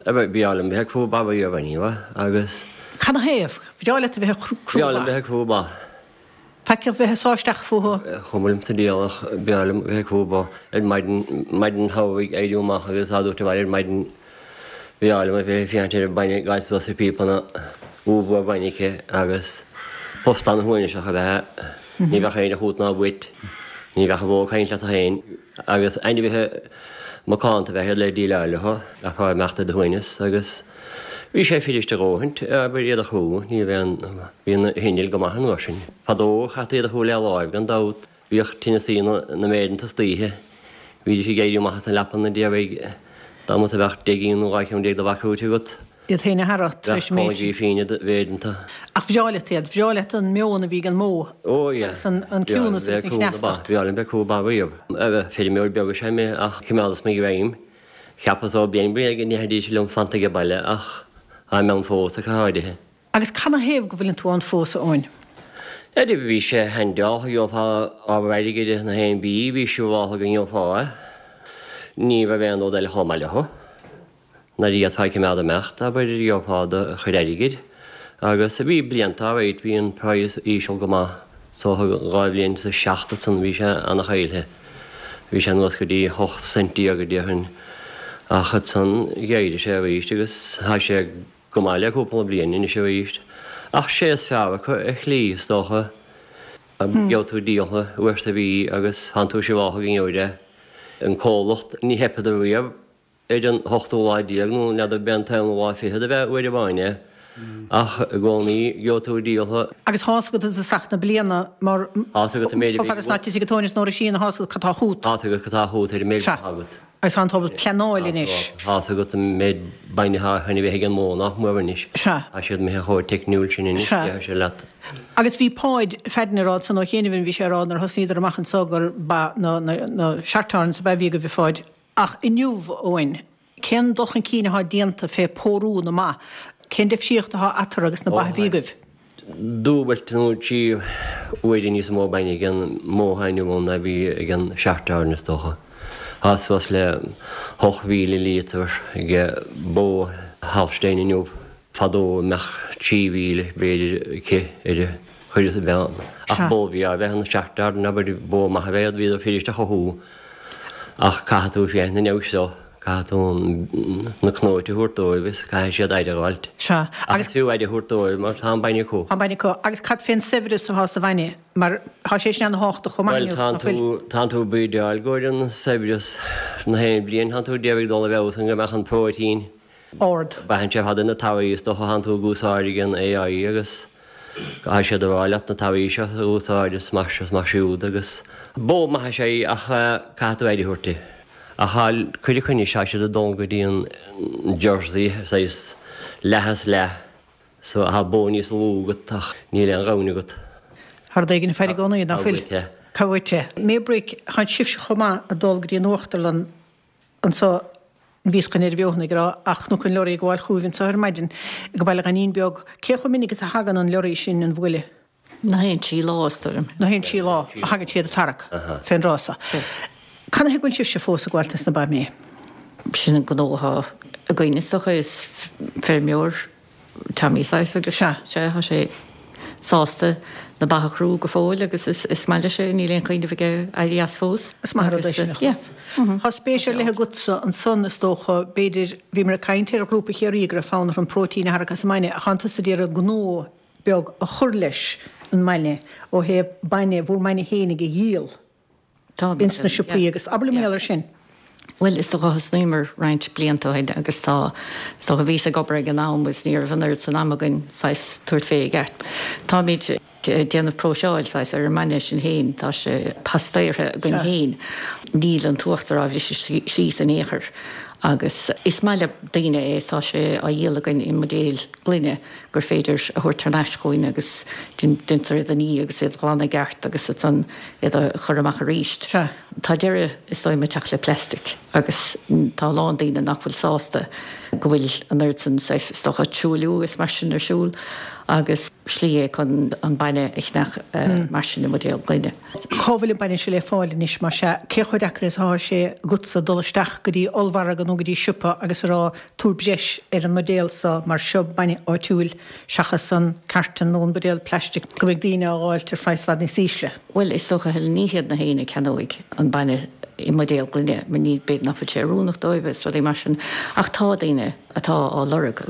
Ba bhreá liom bheith ag crú ba riamh anyway agus. Canathaobh? Bhreá leat a bheith ag crú ba? Bhreá liom bheith ag crú ba. Faic a bheith ag sá isteach fúthu? Chuma liom sa diabhal ach bhreá liom bheith ag crú ba ar maidin, maidin shamhraidh éirí amach agus á dtabhairt abhaile ar maidin. Bhreá liom a bheith ag féachaint ar an bainne ag gabháil suas na píopanna, ollmhór bainne aici agus post ana-shuaimhneach ab ea é. Ní bheadh éinne chút ná uait, ní bheadh an bhó ag caint leat féin agus ainmhithe macánta ab ea iad le déileáil leo, bheifeá ag imeacht ar do shuaimhneas agus bhí sé fuirist a dhóthaint, abair, iad a chrú, ní raibh aon, bhí na hinnill go maith an uair sin. Fadó chaití iad a chrú le láimh gan dabht. Bhíodh tinneasaí na méireanta istoíche. Bhídís ag éirí amach as an leapa na déarfaidh dá mba a bheadh 10 gcinn nó 12 cheann de bha crúite agat. Iad féin a tharrac tar éis an méid sin. Bheadh féin i do mhéireanta. Ach bhreá leat iad, bhreá leat an meon a bhí ag an mbó agus an ciúnas agus an chneastacht. Bhreá liom bheith ag crú ba riamh. Feirmeoir beag is ea mé ach choimeádas mo ghreim. Cheapas ó bliain bliain go ndéarfaidís liom fanacht age baile ach táim ann fós ach go háirithe. Agus canathaobh go bhfuileann tú ann fós, a Eoin? Eddie, Bhí sé handáilte, gheofá ábhar airgid na haon bí, bhí siúráltha go ngeofá é. Ní raibh aon rud eile chomh maith leo. Nuair a d'fhéadfá coimeád imeacht, abair, gheofá do chuid airgid. Agus bhí blianta alright, bhí an praghas íseal go maith. So 2007 ansan bhí sé ana-chaillte. Bhí sé anuas go dtí 18 cent déarfainn. Ach ansan d'éirigh sé arís agus tá sé Go maith le cúpla bliain anois arís. Ach sé is fearr acu ar shlí, is dócha. Gheobhaidh tú díoltha uair sa mhí agus tánn tú siúráltha go ngeobhaidh é. An comhlacht, ní theipeadar riamh ar an ochtú lá déag nó n'fheadar b'é an t-aonú lá fichead ab ea uair amháin é. Ach i gcónaí gheobhaidh tú díoltha. Agus tá's agat i dtosach na bliana mar Tá's agat an méid a chomh bhí fada is ná titfidh an tóin is an roisín tá's agat cad tá chút. Tá's agat cad tá chút ar an méid Sea. atá agat. Agus tá tú ábalta pleanáil anois. Tá's agat an méid bainne atá chun a bheith ag an mbó nach mór anois. Sea. Tá siad imithe chomh teicniúil sin anois, Sea. déarfaidh sé leat. Agus bhí Páid Pheaidin ag rá ansan ó chianaibh, bhí sé ag rá nuair a thosnaíodar amach anso gur ba na, na, na Shorthorns ab ea a bhí agaibh a Pháid. Ach inniu, a Eoin, cén dul chun cinn atá déanta fé pórú na mba? Cén deifríocht atá eatarthu agus na ba a bhí agaibh? Dúbailt nó 3 huaire níos mó bainne ag an mbó atá inniu ann ná a bhí ag an Shorthorn is dócha. Tá suas le 8,000 líotar ag bó Holstein inniu. Fadó bheadh 3,000 b'fhéidir aici ar a chuid is a bhean. Ach bó bhreá ab ea an Shorthorn, abair, bó maith ab ea iad, bhíodar fuirist a chothú. Ach caithfidh tú féachaint an fheabhais seo. Caithfidh tú na cnóite a thabhairt dóibh is caithfidh siad aire a dh'fháilt. Sea. Ach is fiú aire a thabhairt dóibh mar tá an bainne acu. Tá an bainne acu. Agus cad fén saibhreas atá sa bhainne? Mar tá sé sin ana-thábhachtach chomh maith inniu, nach bhfuil? Bhuel, tánn tú bídeáil i gcomhair an saibhreas na haon bliain, tánn tú ag dul i bhfeabhas chun go mbeadh an próitín. ard. Braitheann sé ar fad ar na torthaí is dócha thánn tú ag úsáid ag an AI agus caithfidh siad a rá leat na torthaí seo a úsáid is mar seo is mar siúd agus bó maith is ea í ach caithfidh tú aire a thabhairt di. Ach tá cuid acu anois tá siad ag dul go dtí an Jersey saghas leath is leath so tá bó níos lú agat ach níl aon ghamhain agat. Tá rud éigin ag faire i gcónaí, nach bhfuil? Tá uait é. Tá uait é. Maybrick, Tá sibhse chomh maith ag dul go dtí an uachtarlann anso bhíos chun ar a bheothan ag rá ach Cnoc an Leoraí ag gabháil chugaibh anso ar maidin go Baile Ghainín Beag. Cé chomh minic is a thagann an leoraí sin an bhuaile? Na haon trí lá, is dóigh liom. Na haon trí lá a thagann siad ag tarrac fén dtráth so. Cad ina thaobh go bhfuil sibhse fós ag gabháilt dos na ba May? Sin an gnó atá againn is dócha, is feirmeoir Tommy saghas agus sea, tá sé sásta na ba a chrú go fóill agus is maith leis é, níl aon chuimhneamh aige éirí as fós. Is maith an rud é sin a chlos. Tá spéis ar leith agatsa ansan is dócha, b'fhéidir, bhíomar ag caint ar Ghrúpa Chiarraí go raibh fonn orthu an próitín a tharrac as an mbainne ach tánn tusa d'iarraidh gnó beag a chur leis an mbainne ó thaobh bainne, bhur mbainne fhéinig a dhíol. ins na siopaí agus abair liom mar gheall air sin. Bhuel, is dócha thosnaíomar roinnt blianta ó shin agus tá, is dócha bhíos ag obair ag an am agus ní raibh an oiread san ama againn saghas tabhairt fé i gceart. Táimid ag déanamh próiseáil saghas ar an mbainne sin féin, tá sé pastaertha againn féin. Níl an t-uachtar á bhriseadh síos in aon chor agus is maith le daoine é, tá sé á dhíol againn i mbuidéil gloine. gur féidir a thabhairt thar n-ais chugainn agus deintear iad a ní agus iad a ghlanadh i gceart agus ansan iad a chur amach arís. Tá deireadh is dóigh liom ag teacht le plastic agus tá a lán daoine nach bhfuil sásta go bhfuil an oiread san saghas is dócha truailliú is mar sin ar siúl agus slí é chun an bainne a cheannach mar sin i mbuidéal gloine. Cá bhfuil an bainne seo le fáil anois más ea? Cé chomh deacair is atá sé agatsa dul isteach go dtí ollmhargadh nó go dtí siopa agus a rá tabhair breis ar an mbuidéal seo mar seo bainne áitiúil seachas an carton nó an buidéal plastic go mbeidh daoine á dh'fháilt ar phraghas i bhfad níos ísle? Bhuel, is dócha, Helen, ní hiad na héinne a ceannóidh an bainne i mbuidéal gloine mar ní, b'fhéidir nach bhfuil sé oiriúnach dóibh is rudaí mar sin ach tá daoine atá á lorg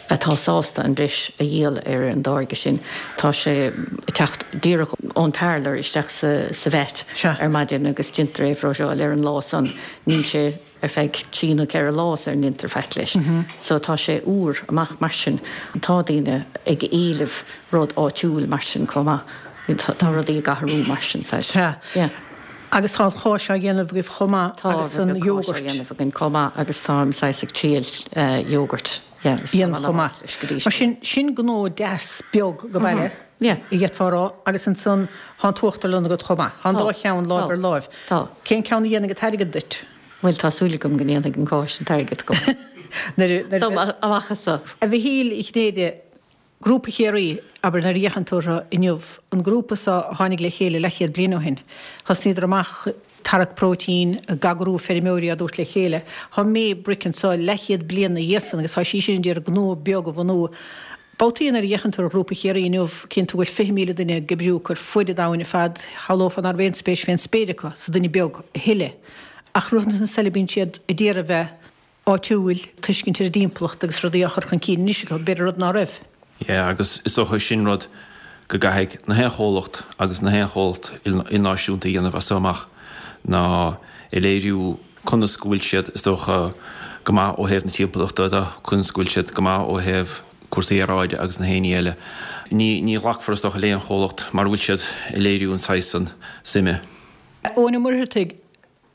atá sásta an bhreis a dhíol ar an dtáirge sin. Tá sé ag teacht díreach ón parlour isteach sa vat ar maidin agus déantar é a phróiseáil ar an lá san. Níl sé ar feadh trí nó ceithre lá sar a ndéantar faic leis. So tá sé úr amach mar sin. Tá daoine ag éileamh rud áitiúil mar sin chomh maith. Tá rudaí ag athrú mar sin. Sea. Agus tá an cháis á dhéanamh agaibh chomh maith agus an iógart. Tá cáis á dhéanamh againn chomh maith agus táim saghas ag triail iógart dhéanamh chomh maith. Mar sin, sin gnó deas beag go baile, a d'fhéadfá a rá, agus ansan tá an t-uachtarlann agat chomh maith. Tá an dá cheann láimh ar láimh. Tá. Cén ceann a dhéanfaidh an t-airgead duit? Bhuel, tá súil agam go ndéanfaidh an cáis an t-airgead dom amach as so. A Mhichíl Uí Chinnéide, Grúpa Chiarraí, abair, nuair a fhéachann tú orthu inniu, an grúpa so a tháinig le chéile leathchéad bliain ó shin, thosnaíodar amach ag tarrac próitín, ag eagrú feirmeoirí á dtabhairt le chéile. Tá Maybrick anso leathchéad bliain ina dhiaidh san agus tá sí sin ag iarraidh gnó beag a bhunú. Babhtaí nuair a fhéachann tú ar Ghrúpa Chiarraí inniu, cíonn tú go bhfuil 20,000 duine ag oibriú acu ar fuaid an domhain ar fad, shamhlófá ná raibh aon spéis fén spéir acu sa duine beag a thuilleadh. Ach rud inteacht eile bíonn siad ag iarraidh bheith áitiúil, tuiscint ar an dtimpeallacht agus rudaí á chur chun cinn anois acu, b'fhéidir rud ná raibh. Yeah, agus is dócha sin rud go gcaithfidh na haon chomhlacht agus na haon chomhlacht ilnáisiúnta a dhéanamh as so amach ná a léiriú conas go bhfuil siad, is dócha, go maith ó thaobh na timpeallachta de, conas go bhfuil siad go maith ó thaobh cúrsaí aeráide agus na haon ní eile. Ní, ní ghlacfar, is dócha, le haon chomhlacht mara bhfuil siad ag léiriú an saghas san suime. Eoin Ó Muircheartaigh,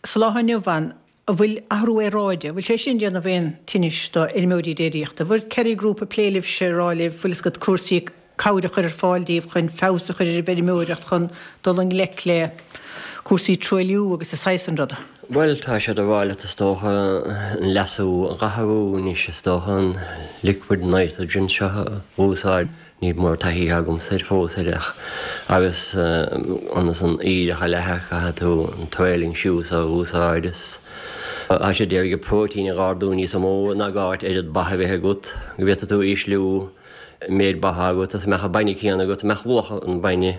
sa lá inniu ann, An bhfuil athrú aeráide, an bhfuil sé sin ag déanamh aon tinnis do fheirmeoirí déiríochta? An bhfuil Kerry Group ag plé libhse, ag rá libh, bhfuil fhios agat, cúrsaí cabhair a chur ar fáil daoibh chun feabhas a chur ar an bhfeirmeoireacht, chun dul i ngleic le cúrsaí truailliú agus an saghas san ruda? Bhuel, tá siad ag rá leat is dócha, an leasú a dh'athrú anois is dócha, an liquid nitrogen seo a úsáid. Níl mórán taithí agamsa air fós air ach agus ionas an aoileach a leathadh caithfidh tú an trailing shoes a úsáid is tá siad ag iarraidh an próitín a dh'ardú níos mó ná gá duit oiread ba a bheith agat go bhféadfaidh tú ísliú méid ba agat is mbeadh an bainne céanna agat mbeadh luach an bhainne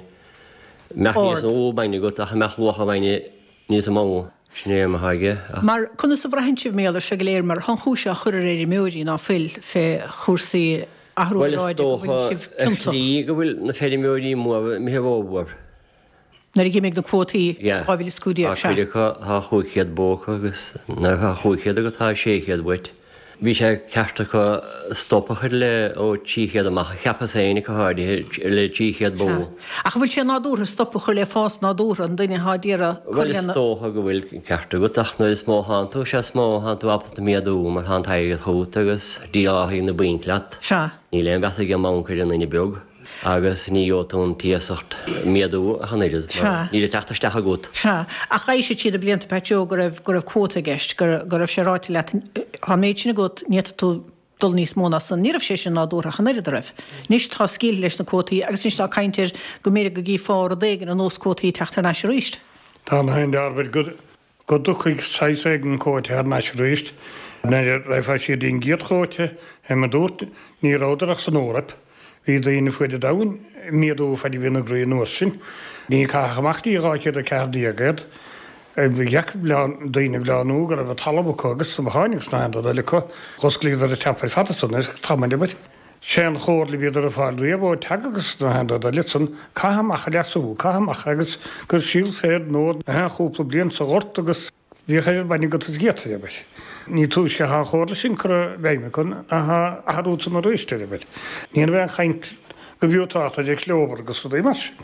mbeadh níos mó bainne agat ach mbeadh luach an bhainne níos mó. Sin é mo thaithí, ach. Mar, conas a bhraitheann sibh mar gheall air seo go léir, mar thá an chúis á chur ar fheirmeoirí ná fuil fé chúrsaí athrú Bhuel, is aeráide go dócha, bhfuil sibh ar ciontach. shlí, go bhfuil na feirmeoirí móra imithe rómhór. Nuair a d'imigh na cuótaí Yeah. 2015, Tá sea. cuid acu, tá 500 bó acu agus nuair atá 500 agat tá 600 uait. Bhí sé ceart acu stop a chur le ó 300 amach, cheapas féin go háirithe, le 300 bó. Sea. Ach an bhfuil sé nádúrtha stop a chur le fás nádúrtha an duine atá d'iarraidh cur Bhuel, is lena. dócha go bhfuil an ceart agat ach nuair is mó a thánn tú, sea is mó a thánn tú ábalta méadú mar thá an t-airgead chugat agus déileálfaidh na bainc leat. Sea. Níl aon mheas ag an mbanc ar an nduine beag. Agus ní gheobhaidh tú an t-iasacht méadú ach an oiread, mar níl ag teacht isteach agat. Sea. Ach d'eisigh siad na blianta, Pat Joe, go raibh, go raibh cuóta i gceist, go, go raibh sé ráite leat, tá an méid sin agat, ní fhéadfaidh tú dul níos mó ná san. Ní raibh sé sin nádúrtha ach an oiread, an raibh? Anois tá scaoilte leis na cuótaí agus anois tá caint ar go mb'fhéidir go gcífeá rud éigin ar nós cuótaí teacht thar n-ais arís. Tá na haon dearbhair go. go dtiocfaidh saghas éigin cuóta thar n-ais arís. Nuair a raghfá siar dtí'n gcéad chuóta, fé mar dúrt, ní rabhadar ach san Eoraip. Bhí daoine fuaid an domhain ag méadú faid a bhí ina gcroí an uair sin. Ní caitheadh amach dtí 214 iad. Ba dheacair daoine a bhleánú go raibh an talamh acu agus na botháin agus na haon rud eile acu. Dh'osclaíodar an tap ar fad ansan ar tamall abair. Sé an chomhairle a bhíodar ag fáil riamh ó Teagasc agus na haon rud eile san, caith amach an leasú, caith amach agus gur shíl féar nó na haon chúpla bliain sa ghort agus bhíodh oiread bainne agat is d'fhéadfaí, abair. Ní túisce athá an chomhairle sin curtha i bhfeidhm acu ná athá athrú san arís, abair. Ní raibh aon chaint go bhfiú trácht ar chlóbhar agus rudaí mar sin.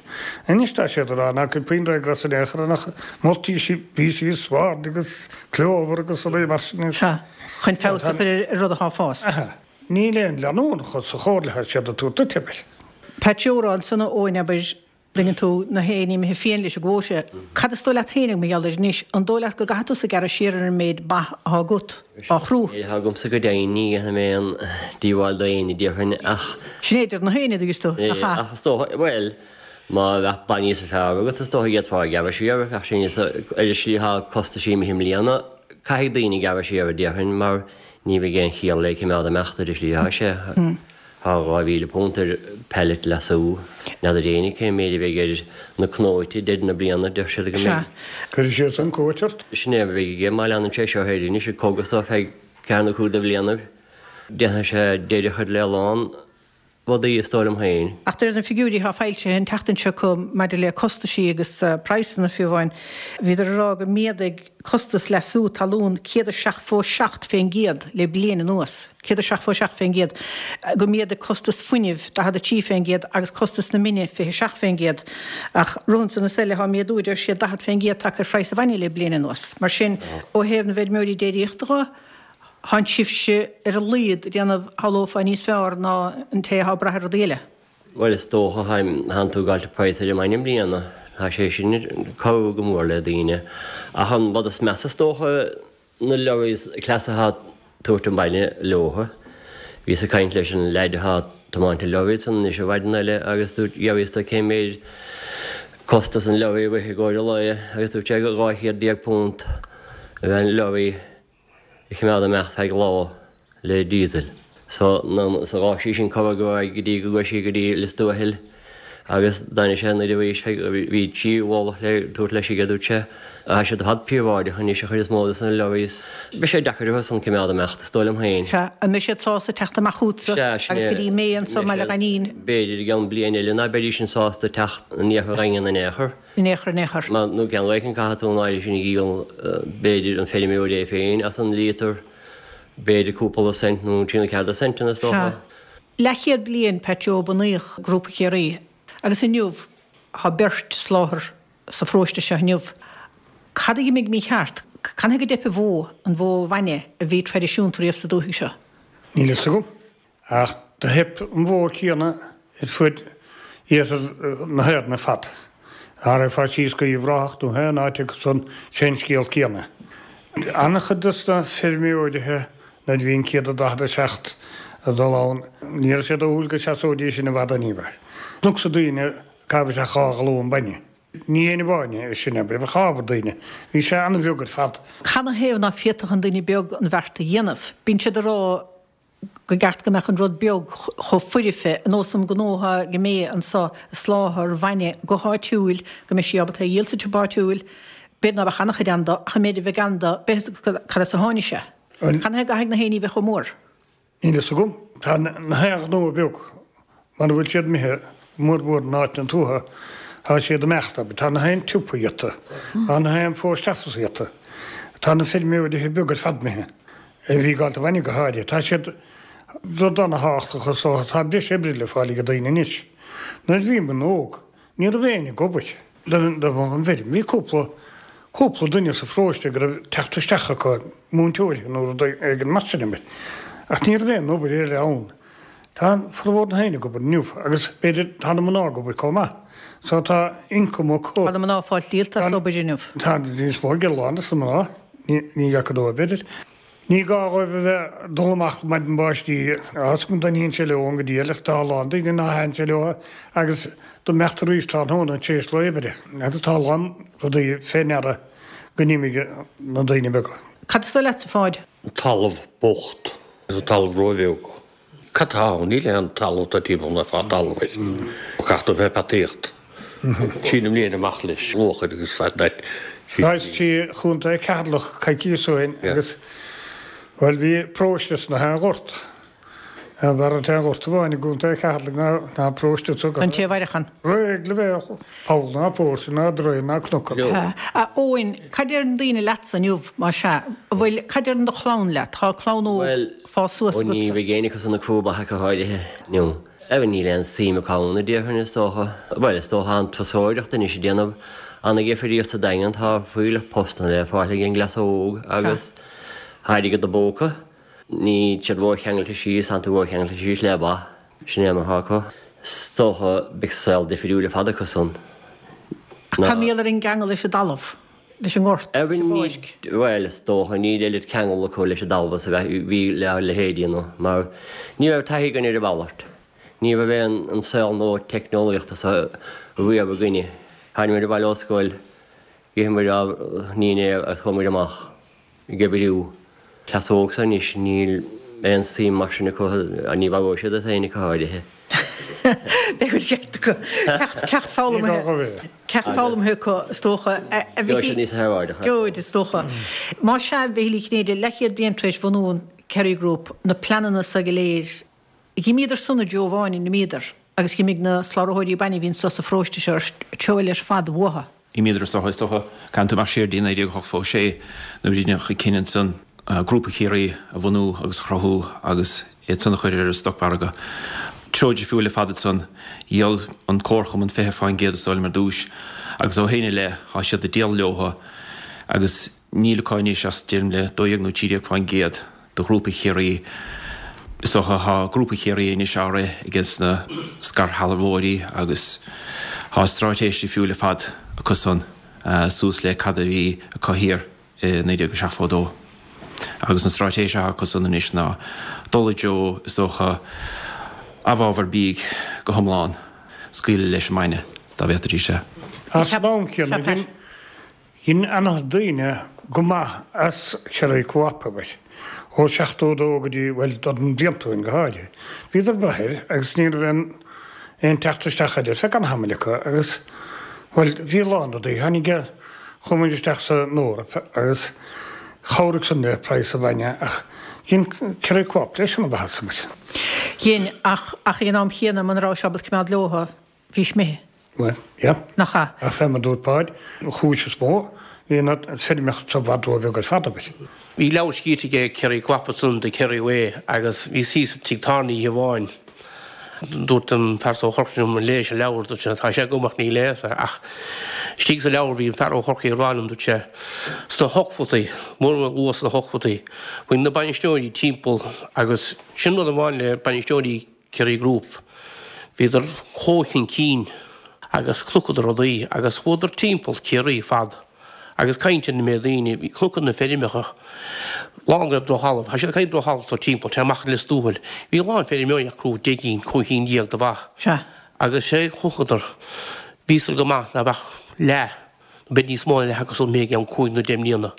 Anois tá siad ag rá ná cuir puinn ryegrass in aon chor nach moltaí píosaí swaird agus clóbhar agus rudaí mar sin. Sea, chun feabhas a chur ar rud athá ag fás. Aha. Níl aon leanúnachas sa chomhairle atá siad ag tabhairt duit, abair. Pat Joe a rá ansan a Eoin, abair, tuigeann tú, na héin imithe fiáin leis an gcuóta. Cad is dóigh leat féin mar gheall air anois? An dóigh leat go gcaithfidh tusa gearradh siar ar an méid ba atá agat á chrú? Ní atá agamsa go deimhin, ní dhéanfaidh mé aon díobháil d'éinne, déarfainn, ach. Sin é, deir na héin, a dtuigeas tú, nach ea? Ach is dócha, bhuel, má bheadh ba níos fearr agat, is dócha d'fhéadfá gearradh siar, bheadh sé níos, ar an slí atá costaisí imithe i mbliana, caithfidh daoine gearradh siar, déarfainn, mar Ní bheidh aon chiall le cimeád imeacht ar an slí atá sé. Tá £2,000 ar pallet leasú. N'fheadar éinne cén méid a bheidh ar na cnóite deireadh na bliana, deir siad go mbeidh. Cuirfidh siad san cuairt ort. Sin é a bheidh aige má leanann sé seo air anois ag cogadh so feadh ceathair nó cúig de bhlianaibh. Déanfaidh sé deireadh a chur le a lán rudaí, is dóigh liom féin. Ach de réir na figiúirí atá foilsithe an tseachtain seo acu maidir le costaisí agus praghsanna fiú amháin, bhíodar ag rá go méadaigh costas leasú talún 177% le bliain anuas, 177%, go méadaigh costas fuinnimh 43% agus costas na mine 27%. Ach romhan san is eile tá méadú, deir siad, 40% tagtha ar phraghas an bhainne le bliain anuas. Mar sin, ó thaobh na bhfeirmeoirí déiríochta dho, Thánn sibhse ar a laghad ag déanamh, shamhlófá, níos fearr ná an té atá ag brath ar rudaí eile. Bhuel, is dócha, thánn tú ag gabháilt praghas ar an mbainne i mbliana. Tá sé sin ag cabhrú go mór le daoine. Ach an rud is measa is dócha, na lorries cleasa atá ag tabhairt an bainne leotha. Bhíos ag caint leis an leaid atá ag tiomáint an lorry san anois an mhaidin eile agus dúirt, d'fhiafraíos de cén méid costas an lorry a rith i gcomhair an lae agus dúirt sé gur £1200 a bheith an lorry. a choimeád imeacht feadh lá le diesel. So sa ghabh sí sin corr go raibh go dtí go gcuaigh sí go dtí Lios Tuathail agus d'fhan sé anoir arís feadh bhí 3 mhullach le tabhairt leis aige dúirt sé. Tá siad ar fad príobháideach anois an chuid is mó de na lorries. Beidh sé deacair orthu san coimeád imeacht is dóigh liom féin. Sea, an mbeidh siad sásta teacht amach chugatsa Sea, sin agus é. go dtí May anso i mBaile Ghainín? B'fhéidir i gceann bliain eile ná beidís sin sásta teacht in iarthar Dhaingean in aon chor. In aon chor, in aon chor. Mar nó ceann éicint caithfidh tú an áirithe sin a dhíol, b'fhéidir, an feirmeoir é féin as an líotar, b'fhéidir cúpla cent nó trí nó ceathair centanna is dócha. Sea. Leathchéad bliain, Pat Joe, bunaíodh Grúpa Chiarraí agus inniu tá beirt sa láthair sa pharóiste seo inniu. Cad a d'imigh mícheart? Canathaobh go dteip an bhó, an bhó bhainne a bhí traidisiúnta riamh sa dúthaigh seo? Níl fhios agam. Ach do theip an bhó céanna ar fuaid iarthar na hÉireann ar fad. Dá raghfá síos go Uíbh Ráthach nó aon áit acu san, sé an scéal céanna. An-chuid dos na feirmeoirithe nuair a bhí an 147 ag dul ann, ní raibh sé dóchúil go seasóidís sin i bhfad in aon chor. Chonacsa daoine ag caitheamh isteach 2 ghalún bainne. Ní haon amháin é sin, abair, bheadh ábhar daoine. Bhí sé an-bheag ar fad. Canathaobh ná féadfadh an duine beag an bheart a dhéanamh? Bíonn siad ag rá go gceart go mbeadh an rud beag chomh foirfe, ar nós an gnó atá ag May anso, ag soláthar bainne go háitiúil, go mbeidh sí ábalta é a dhíol sa tsiopa áitiúil. B'fhéidir ná beadh an-chuid ann dó, ach an méid a bheidh ann dó, beidh fhios agat cad as a tháinig sé. Canathaobh go gcaithfidh na haon ní bheith chomh mór? Níl fhios agam. Tá na haon ghnó beag, mara bhfuil siad imithe mórmhór in áiteanna tuaithe, tá siad imeachta. Tá na haon tsiopa iata. Tá na haon post office iata. Tá na feirmeoirithe beaga ar fad imithe, a bhí ag gabháil do bhainne go háirithe. Tá siad rud ana-thábhachtach is dócha, tá breis oibre le fáil ag daoine anois. Nuair a bhí muid óg, Ní raibh éinne ag obair do an bhfeirm. Bhí cúpla, cúpla duine sa pharóiste go raibh teacht isteach acu, múinteoirí nó rud éigin mar sin, ach ní raibh aon obair eile ann. Tá formhór na haoinne ag obair inniu agus b'fhéidir tá na mná ag obair chomh maith. So tá income acu. Tá na mná ag fáilt díolta as obair inniu. Tá níos mó ag a lán des na mná, ní fhaca dóibh b'fhéidir. Ní gá dhóibh a bheith ag dul amach maidin báistí agus go dtaitníonn sé leo an go diail ach tá a lán daoine ná thaitníonn sé leo agus dá mbeadh arís tráthnóna tar éis lae oibre. Agus tá a lán rudaí fé ndeara go n-imigh na daoine beaga. Cad is dóigh leatsa, a Pháid? An talamh bocht agus an talamh róbheag. Cad tá ann? Níl aon talamh tá timpeall na fá talamh air. Caithfidh tú bheith ag peataíocht. Sín na mbliain amach leis luachair agus fad that. Is trí Chontae Cheatharlach coicíos ó shin agus, bhuel, bhí paróiste sna haon ghort. B'fhearr an t-aon ghort amháin i gContae Cheatharlaigh ná ná paróiste sa. An té a mhairfeadh ann. Réidh le bheith poll ná póirse ná draein ná cnoc ann. A Eoin, cad deireann daoine leatsa inniu, más ea? An bhfuil, cad deireann do chlann leat? Tá clann óg. Bhuel, fás suas Ó ní agatsa. bheidh éinne acu san ag crúbadh ach go háirithe inniu. Evan, Níl aon suim acu ann, a déarfainn, is dócha. Bhuel, is dócha an turasóireacht anois ag déanamh ana-dhifríocht sa Daingean, tá fuílleach postanna le fáil ag an gcleas óg agus tá airgead i bpóca. Níl siad ró-cheangailte síos, tánn tú ró-cheangailte síos le ba, sin é mar atá acu. Is dócha beidh saol difriúil ar fad acu san. Ach cad mar gheall ar an gceangal leis an dtalamh? leis an ngort, leis an bpáirc. Bhuel, is dócha, níl oiread ceangal acu leis an dtalamh is a bhí le ár leithéidí nó mar ní raibh taithí againn ar a mhalairt. Ní raibh aon an saol nua teicneolaíochta seo riamh againne. Tháinig muid abhaile ó scoil, d'ith muid ár ndinnéar agus chuaigh muid amach ag oibriú. Cleas óg seo anois, níl aon suim mar sin acu, ní mharóidh siad iad féin ach go háirithe. Beidh an ceart acu. Ceacht foghlamtha. Ceacht foghlamtha acu, is dócha. A Mhichíl. Níos hearráideach. Gheobhaid, is dócha. Más ea, a Mhichíl Uí Chinnéide, leathchéad bliain tar éis bhunú an Kerry Group, na pleananna so go léir, Dh'imíodar san i dtreo amháin a n-imíodar agus dh'imigh na slabhraitheoirí bainne a bhí anso sa pharóiste seo i dtreo eile ar fad uathu. Dh'imíodar is dócha, is dócha, caithfidh tú imeacht siar dtí 1986 nuair a rinneadh an cinneadh ansan Grúpa Chiarraí a bhunú agus a chruthú agus iad san a chur ar an stocmhargadh. Treo difriúil ar fad ansan. Dhíol an Comharchumann 20% is dóigh liom ar dtúis agus ó shin i leith tá siad ag díol leotha agus níl acu anois ach deirim le 12 nó 13% de Ghrúpa Chiarraí. Is dócha tá Grúpa Chiarraí anois á rith ages na scairshealbhóirí agus tá stráitéis difriúil ar fad acu san suas le cad a bhí acu thiar i 1972. Agus an stráitéis atá acu san anois ná dul i dtreo, is dócha, amhábhar bídh go hiomlán, scaoileadh leis an mbainne, dá bhféadfaidís é. Ach san am céanna, Dhein ana-chuid daoine go maith as Kerry Co-op, abair, ó 72 go dtí, bhuel, dornán blianta ó shin go háirithe. Bhíodar ag brath air agus ní raibh aon, aon teacht isteach eile ar feadh an-tamaill acu agus, bhuel, bhí a lán rudaí. Tháinig, chuaigh muid isteach san Eoraip agus chabhraigh san le praghas an bhainne ach dhein Kerry Co-op leis an-mhaitheas, abair. Dhein, ach, ach ag an am chéanna, muna raibh sé ábalta coimeád leotha, bhís imithe. Bhuel, yeah. Nach ea? Ach fé mar dúirt Páid, an chúis is mó, bhí na feirmeacha i bhfad róbheag ar fad, abair. Bhí leabhar scríte aige Kerry Co-op ansan, The Kerry Way, agus bhíos thíos i dtigh tábhairne oíche amháin. Dúirt an fear so ó Chorcaigh liom, an léis an leabhar, dúirt sé, tá sé agam ach ní léas é. Ach istigh sa leabhar bhí an fear ó Chorcaigh ag rá liom, dúirt sé, sna hochtóidí, mór luath sna hochtóidí, bhí na bainisteoirí timpeall agus sin rud amháin le bainisteoirí Kerry Group. Bhíodar chomh chun cinn agus chonaiceadar rudaí agus chuadar timpeall Ciarraí fad agus caint ar na méid daoine, bhí chonaiceadar na feirmeacha lán go raibh drochthalamh, tá siad ag caint drochthalamh so timpeall, téigh amach i Lios Tuathail, bhí a lán feirmeoirí acu 10 gcinn, 15 cinn de bha. Sea. Agus sé chonaiceadar, bhíosar go maith ná beadh leath B'fhéidir níos mó ná leath acu san imithe i gceann cúig nó deich mbliana.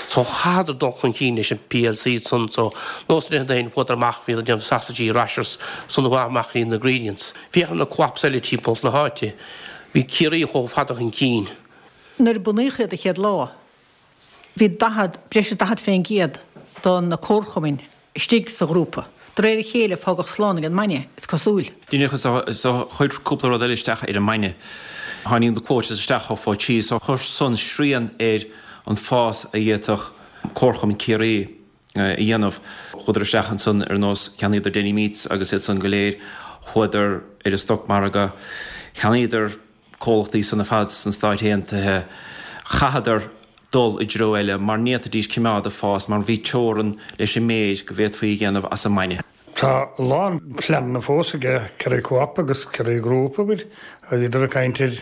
So chaitheadar dul chun cinn leis an PLC san so nós na daoine chuadar amach bhíodar ag déanamh sausages, rashers san chuaigh amach ní na ingredients. Féach ar na co-ops eile timpeall na háite. Bhí Ciarraí chomh fada chun cinn. Nuair a bunaíodh iad an chéad lá, bhí 40, breis is 40% de na comharchumainn istigh sa ghrúpa. De réir a chéile fágadh slán ag an mbainne, is cosúil. Díreach is chuir cúpla rud eile isteach ar an mbainne. Tháinig na quotas isteach ó fá so chuir san srian ar an fás a d'fhéadfadh Comharchumann Chiarraí a dhéanamh. Chuadar isteach ansan ar nós cheannaíodar Denny Meats agus iad san go léir, chuadar ar an stocmhargadh, cheannaíodar comhlachtaí san ar fad sna Stáit Aontaithe, chaitheadar dul i dtreo eile mar ní fhéadfaidís cimeád ag fás mar bhí teorann leis an méid go bhféadfaí a dhéanamh as an mbainne. Tá a lán pleananna fós aige Kerry Co-op agus Kerry Group, abair. Bhíodar ag caint ar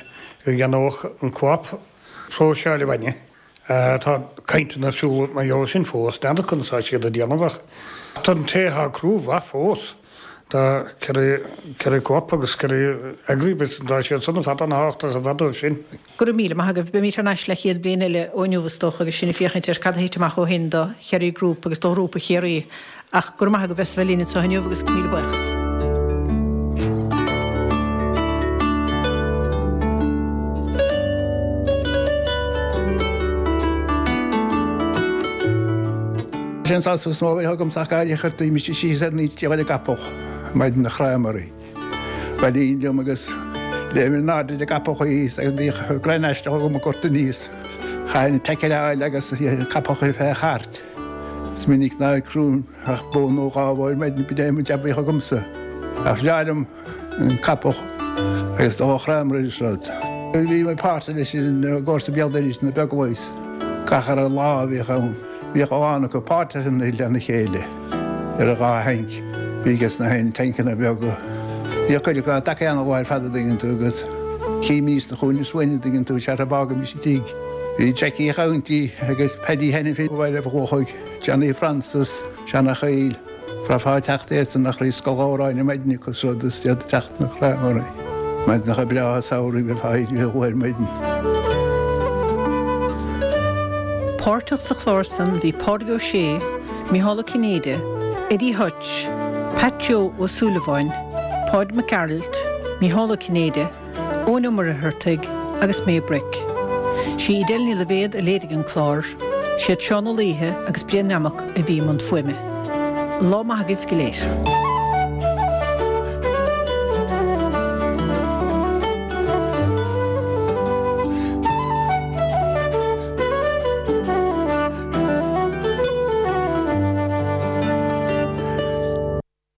go gceannódh an Co-op próiseáil an bhainne. Tá cainteanna ar siúl mar gheall air sin fós. N'fheadar conas tá siad ag déanamh ach tá an té atá ag ró-mhaith fós. Tá Kerry, Kerry Co-op agus Kerry Agribusiness, tá siad san ar fad an-thábhachtach ar fad dóibh sin. Go raibh míle maith agaibh. Beimid thar n-ais le chéad bliain eile ó inniu is dócha agus sinn ag féachaint ar cad a thit amach ó shin do Kerry Group agus do Ghrúpa Chiarraí. Ach go raibh maith agaibh as a bheith linn anseo inniu agus míle buíochas. Sé an sásamh is mó a bheadh agamsa ach gairm a chur mise síos ar an íte ar an gcapall maidin a chrámairí. Bhailínn liom agus léim in airde ar an gcapall thíos agus bhíodh greim aisteach agam ag gort aníos. Chaithfinn tackle a fháil agus capall a chur fé chairt. Is minic nár crúim ach bó nó dhá bhó ar maidin, b'in é an jab a bhíodh agamsa. Ach bhreá liom an capall agus dul a chrámar ar an sráid. Bhí mé páirteach leis an gcomharsa Béal Dorais na Beaglaois. Gach uile lá a bhíodh ann, bhíodh a lán acu páirteach lena chéile ar an dhá thanc. Bhí aige sna haon tancanna beaga. Bhíodh cuid acu á dtaca ana mhaith ar fad a dtuigeann tú agus chímís na chúinne suain a dtuigeann tú seachas fágaimis an tigh. Bhí Jackie a' Chounty agus Paddy Hanafin ó Bhaile Bhlochaigh, Johnny Francis, Seanachaill. Bhraithfeá ag teacht iadsan nach raibh scoil amhráin ar maidin acu is rud is iad ag teacht na crámairí. Maidineacha breátha samhraidh bheifeá éirithe luath ar maidin. Páirteach sa chlár san bhí Pádraig Ó Sé, Micheál Ó Cinnéide, Eddie Hutch, Pat Joe Ó Súilleabháin, Páid Mac Gearailt, Micheál Ó Cinnéide, Eoin Ó Muircheartaigh agus May Brick. Sí Edel Ní Loibhéad a léirigh an clár, siad Seán Ó Laoithe agus Brian Nammock a bhí i mbun fuaime. Lá maith agaibh go léir.